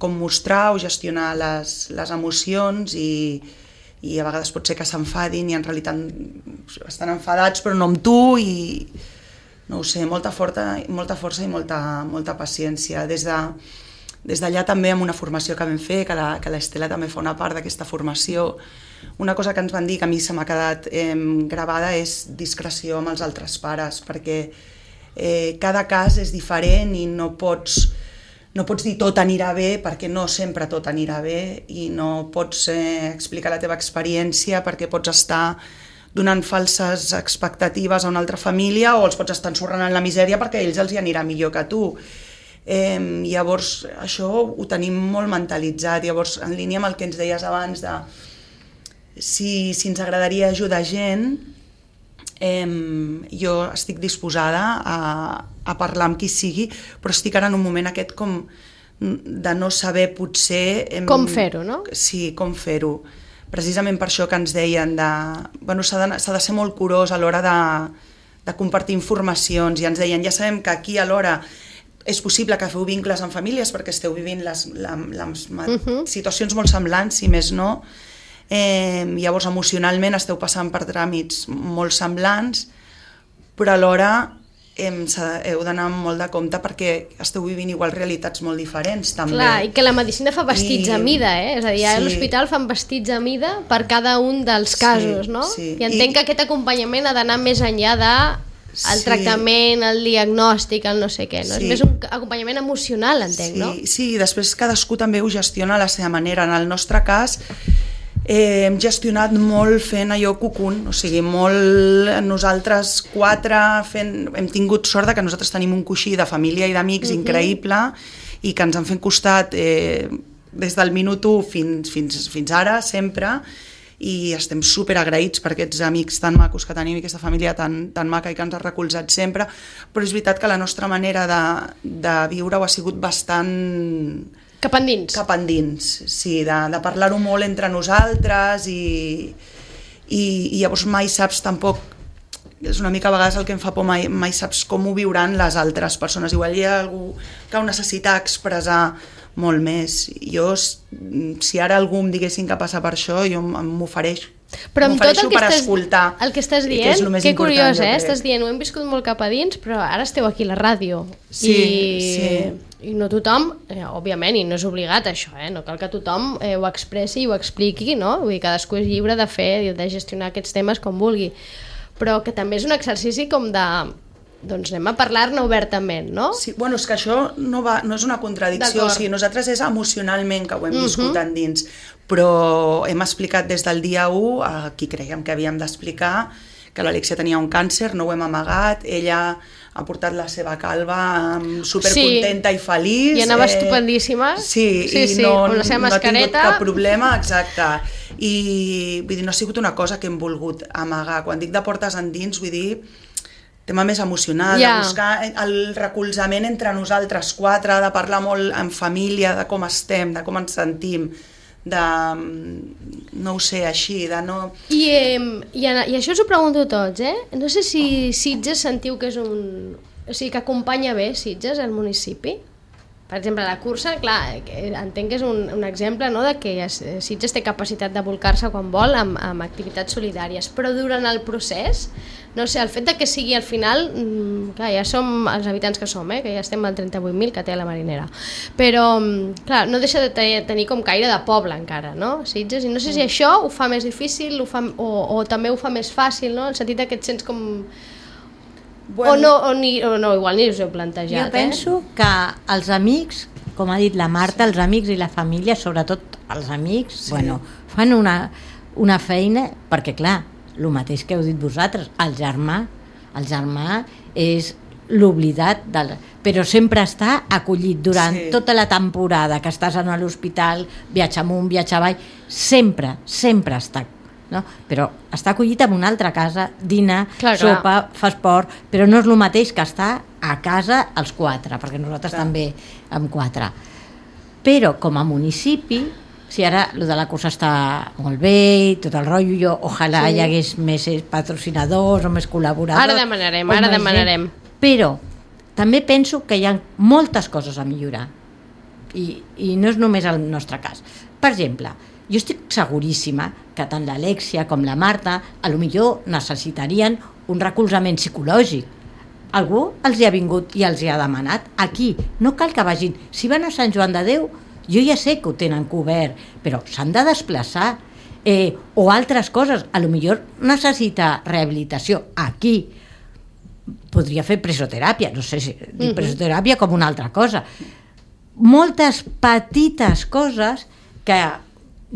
[SPEAKER 5] com mostrar o gestionar les emocions i a vegades pot ser que s'enfadin i en realitat estan enfadats però no amb tu, i no ho sé, molta força i molta paciència. Des d'allà també amb una formació que vam fer, que l'Estela també fa una part d'aquesta formació, una cosa que ens van dir que a mi se m'ha quedat gravada és discreció amb els altres pares, perquè cada cas és diferent i no pots dir tot anirà bé, perquè no sempre tot anirà bé, i no pots explicar la teva experiència perquè pots estar donant falses expectatives a una altra família o els pots estar ensorrant en la misèria perquè a ells els hi anirà millor que a tu. Llavors això ho tenim molt mentalitzat. Llavors, en línia amb el que ens deies abans de si ens agradaria ajudar gent, jo estic disposada a parlar amb qui sigui, però estic ara en un moment aquest com de no saber potser...
[SPEAKER 1] Com fer-ho, no?
[SPEAKER 5] Sí, com fer-ho. Precisament per això que ens deien s'ha de ser molt curós a l'hora de compartir informacions, i ens deien, ja sabem que aquí alhora és possible que feu vincles amb famílies perquè esteu vivint les situacions molt semblants, si més no. Llavors emocionalment esteu passant per tràmits molt semblants, però alhora heu d'anar molt de compte perquè esteu vivint igual realitats molt diferents també.
[SPEAKER 1] Clar, i que la medicina fa vestits a mida, és a dir, a l'hospital fan vestits a mida per cada un dels casos, no?
[SPEAKER 5] Sí.
[SPEAKER 1] I entenc que aquest acompanyament ha d'anar més enllà del tractament, el diagnòstic, el no sé què, no? És més un acompanyament emocional, entenc, no?
[SPEAKER 5] Sí, i després cadascú també ho gestiona a la seva manera. En el nostre cas hem gestionat molt fent allò cucún, o sigui, molt nosaltres 4 hem tingut sort que nosaltres tenim un coixí de família i d'amics increïble i que ens han fet costat des del minut 1 fins ara, sempre, i estem superagraïts per aquests amics tan macos que tenim i aquesta família tan maca i que ens ha recolzat sempre, però és veritat que la nostra manera de viure ha sigut bastant...
[SPEAKER 1] Cap endins.
[SPEAKER 5] Cap endins, sí, de parlar-ho molt entre nosaltres i llavors mai saps tampoc és una mica a vegades el que em fa por, mai saps com ho viuran les altres persones. Igual hi ha algú que ho necessita expressar molt més. Jo, si ara algú em diguessin que passa per això, jo m'ofereixo.
[SPEAKER 1] Però amb tot
[SPEAKER 5] el
[SPEAKER 1] que estàs dient, que curiós, estàs dient, ho hem viscut molt cap a dins, però ara esteu aquí a la ràdio. I no tothom, òbviament, i no és obligat això, no cal que tothom ho expressi i ho expliqui, no? Vull dir, cadascú és lliure de fer i de gestionar aquests temes com vulgui. Però que també és un exercici com de... doncs anem a parlar-ne obertament, no?
[SPEAKER 5] Sí, bueno, és que això no és una contradicció, o sigui, nosaltres és emocionalment que ho hem viscut endins, però hem explicat des del dia 1 a qui creiem que havíem d'explicar que l'Alexia tenia un càncer, no ho hem amagat, ella ha portat la seva calva supercontenta i feliç.
[SPEAKER 1] I anava estupendíssima.
[SPEAKER 5] Sí, no ha tingut cap problema, exacte. I vull dir, no ha sigut una cosa que hem volgut amagar. Quan dic de portes endins, vull dir tema més emocional, de buscar el recolzament entre nosaltres quatre, de parlar molt en família, de com estem, de com ens sentim, de, no ho sé, així, de no...
[SPEAKER 1] I això us ho pregunto tots, No sé si Sitges sentiu que és un... O sigui, que acompanya bé Sitges, el municipi? Per exemple, la cursa, clar, entenc que és un exemple, no?, de que Sitges té capacitat de volcar-se quan vol amb activitats solidàries, però durant el procés, no sé, el fet de que sigui al final, clar, ja som els habitants que som, que ja estem al 38.000 que té la Marinera, però, clar, no deixa de tenir com caire de poble encara, no?, Sitges, i no sé si això ho fa més difícil o també ho fa més fàcil, no?, en el sentit que et sents com... Bueno, o no, igual ni us ho he plantejat.
[SPEAKER 3] Jo penso que els amics, com ha dit la Marta, els amics i la família, sobretot els amics, fan una feina, perquè clar, el mateix que heu dit vosaltres, el germà és l'oblidat, però sempre està acollit durant tota la temporada que estàs a l'hospital, viatge amunt, viatge avall, sempre està, no? Però està acollit en una altra casa, dina, sopa, fa esport, però no és el mateix que estar a casa els quatre, perquè nosaltres també amb quatre. Però com a municipi, si ara el de la cursa està molt bé i tot el rotllo, ojalà hi hagués més patrocinadors o més col·laboradors.
[SPEAKER 1] Ara demanarem.
[SPEAKER 3] Però també penso que hi ha moltes coses a millorar i no és només el nostre cas. Per exemple, jo estic seguríssima que tant l'Alexia com la Marta a lo millor necessitarien un recolzament psicològic. Algú els hi ha vingut i els hi ha demanat. Aquí no cal que vagin. Si van a Sant Joan de Déu, jo ja sé que ho tenen cobert, però s'han de desplaçar. O altres coses. A lo millor necessita rehabilitació. Aquí podria fer presoteràpia, no sé si dir presoteràpia com una altra cosa. Moltes petites coses que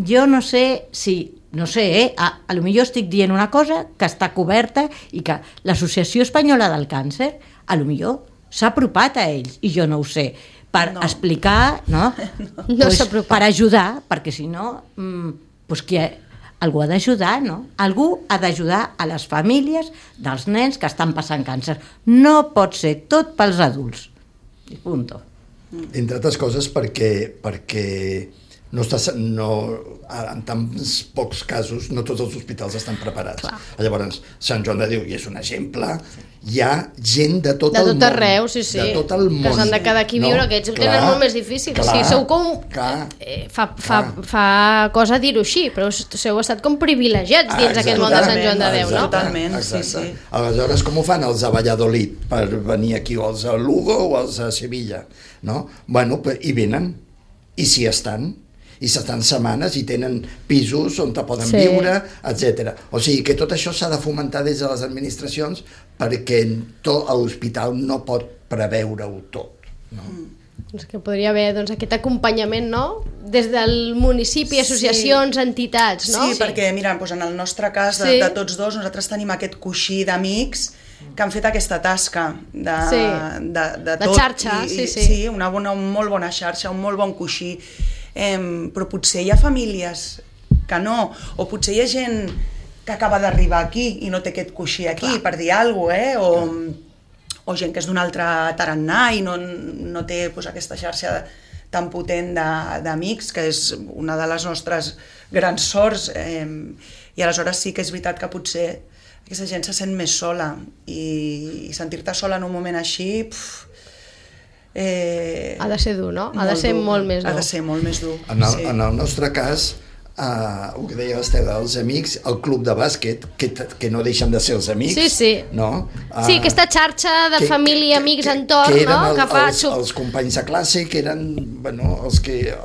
[SPEAKER 3] jo no sé si, a lo millor estic dient una cosa que està coberta i que l'Associació Espanyola del Càncer a lo millor s'ha apropat a ells i jo no ho sé, per explicar, per ajudar, perquè si no, algú ha d'ajudar, no? Algú ha d'ajudar a les famílies dels nens que estan passant càncer. No pot ser tot pels adults. I punto.
[SPEAKER 2] Entre altres coses perquè en tants pocs casos no tots els hospitals estan preparats. Llavors, Sant Joan de Déu, i és un exemple, hi ha gent de tot el món.
[SPEAKER 1] De tot arreu, sí.
[SPEAKER 2] De tot el món.
[SPEAKER 1] Que s'han de quedar aquí a viure, aquests ho tenen molt més difícil. Sí, sou com... Fa cosa dir-ho així, però heu estat com privilegiats dins aquest món de Sant Joan de Déu, no?
[SPEAKER 5] Totalment, sí.
[SPEAKER 2] Aleshores, com ho fan els a Valladolid per venir aquí, o els a Lugo o els a Sevilla, no? Bueno, i venen, i s'hi estan, i s'estan setmanes i tenen pisos on te poden viure, etc. O sigui que tot això s'ha de fomentar des de les administracions perquè l'hospital no pot preveure-ho tot. No?
[SPEAKER 1] Doncs que podria haver aquest acompanyament, no? Des del municipi, associacions, entitats, no?
[SPEAKER 5] Sí, perquè mira, en el nostre cas de tots dos, nosaltres tenim aquest coixí d'amics que han fet aquesta tasca de tot.
[SPEAKER 1] Xarxa,
[SPEAKER 5] sí, una molt bona xarxa, un molt bon coixí. Però potser hi ha famílies que no, o potser hi ha gent que acaba d'arribar aquí i no té aquest coixí aquí, per dir alguna cosa, o gent que és d'un altre tarannà i no té aquesta xarxa tan potent d'amics, que és una de les nostres grans sorts, i aleshores sí que és veritat que potser aquesta gent se sent més sola i sentir-te sola en un moment així
[SPEAKER 1] ha de ser dur, no? Ha de ser molt més dur.
[SPEAKER 5] Ha de ser molt més dur.
[SPEAKER 2] En el nostre cas, el que deia l'Estela, els amics, el club de bàsquet, que no deixen de ser els amics, no?
[SPEAKER 1] Sí, aquesta xarxa de família, amics, entorn,
[SPEAKER 2] que eren
[SPEAKER 1] no? Que fa
[SPEAKER 2] els companys de classe, que eren els que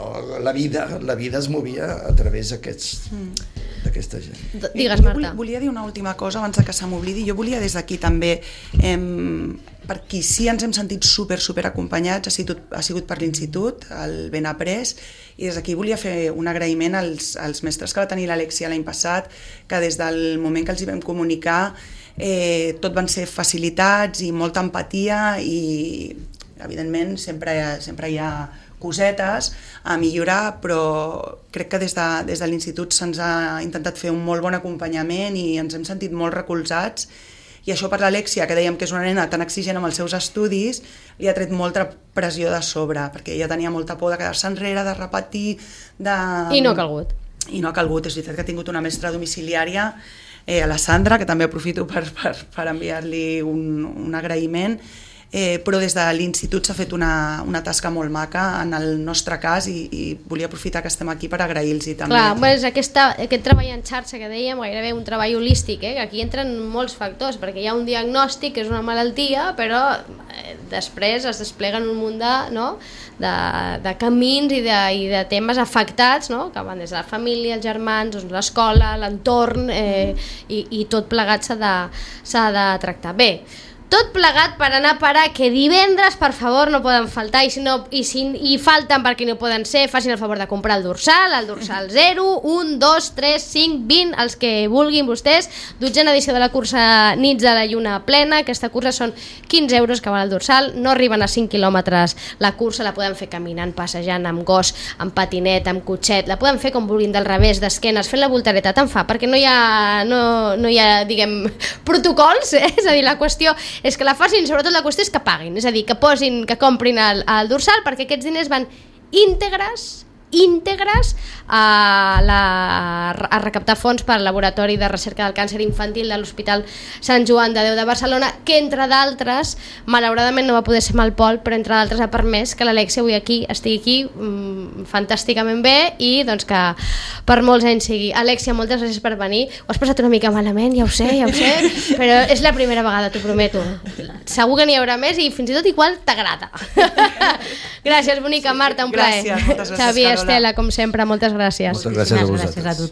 [SPEAKER 2] la vida es movia a través d'aquesta gent.
[SPEAKER 1] Digues, Marta.
[SPEAKER 5] Volia dir una última cosa abans que se m'oblidi. Jo volia des d'aquí també, per qui sí ens hem sentit super acompanyats, ha sigut per l'institut, el Ben Après, i des d'aquí volia fer un agraïment als mestres que va tenir l'Alexia l'any passat, que des del moment que els hi vam comunicar tot van ser facilitats i molta empatia i evidentment sempre hi ha cosetes a millorar, però crec que des de l'institut se'ns ha intentat fer un molt bon acompanyament i ens hem sentit molt recolzats. I això per l'Alexia, que dèiem que és una nena tan exigent amb els seus estudis, li ha tret molta pressió de sobre, perquè ella tenia molta por de quedar-se enrere, de repetir...
[SPEAKER 1] I no ha calgut.
[SPEAKER 5] I no ha calgut. És veritat que ha tingut una mestra domiciliària, a la Sandra, que també aprofito per enviar-li un agraïment, però des de l'institut s'ha fet una tasca molt maca en el nostre cas i volia aprofitar que estem aquí per agrair-los també.
[SPEAKER 1] Clar, és aquest treball en xarxa que dèiem, gairebé un treball holístic, que aquí entren molts factors, perquè hi ha un diagnòstic que és una malaltia, però després es despleguen un munt de camins i de temes afectats, no? Que van des de la família, els germans, l'escola, l'entorn, i tot plegat s'ha de tractar. Bé, tot plegat per anar a parar que divendres, per favor, no poden faltar, i falten perquè no poden ser, facin el favor de comprar el dorsal 0, 1, 2, 3, 5, 20, els que vulguin vostès. 12a edició de la cursa Nits de la Lluna Plena. Aquesta cursa són 15 euros que val el dorsal, no arriben a 5 quilòmetres la cursa, la poden fer caminant, passejant, amb gos, amb patinet, amb cotxet, la poden fer com vulguin, del revés, d'esquenes, fent la voltareta, tant fa, perquè no hi ha diguem, protocols, és a dir, la qüestió és que la facin, sobretot la qüestió és que paguin, és a dir, que comprin el dorsal, perquè aquests diners van íntegres a recaptar fons per al Laboratori de Recerca del Càncer Infantil de l'Hospital Sant Joan de Déu de Barcelona, que entre d'altres, malauradament no va poder ser amb el Pol, però entre d'altres ha permès que l'Alexia avui estigui aquí fantàsticament bé i doncs que per molts anys sigui. Alexia, moltes gràcies per venir. Ho has passat una mica malament, ja ho sé, però és la primera vegada, t'ho prometo. Segur que n'hi haurà més i fins i tot igual t'agrada. Gràcies, bonica. Marta, un plaer.
[SPEAKER 5] Gràcies, moltes gràcies,
[SPEAKER 1] Xavier,
[SPEAKER 5] Carola.
[SPEAKER 1] Estela, com sempre, moltes gràcies.
[SPEAKER 2] Moltes gràcies a vosaltres.
[SPEAKER 3] Gràcies a tothom.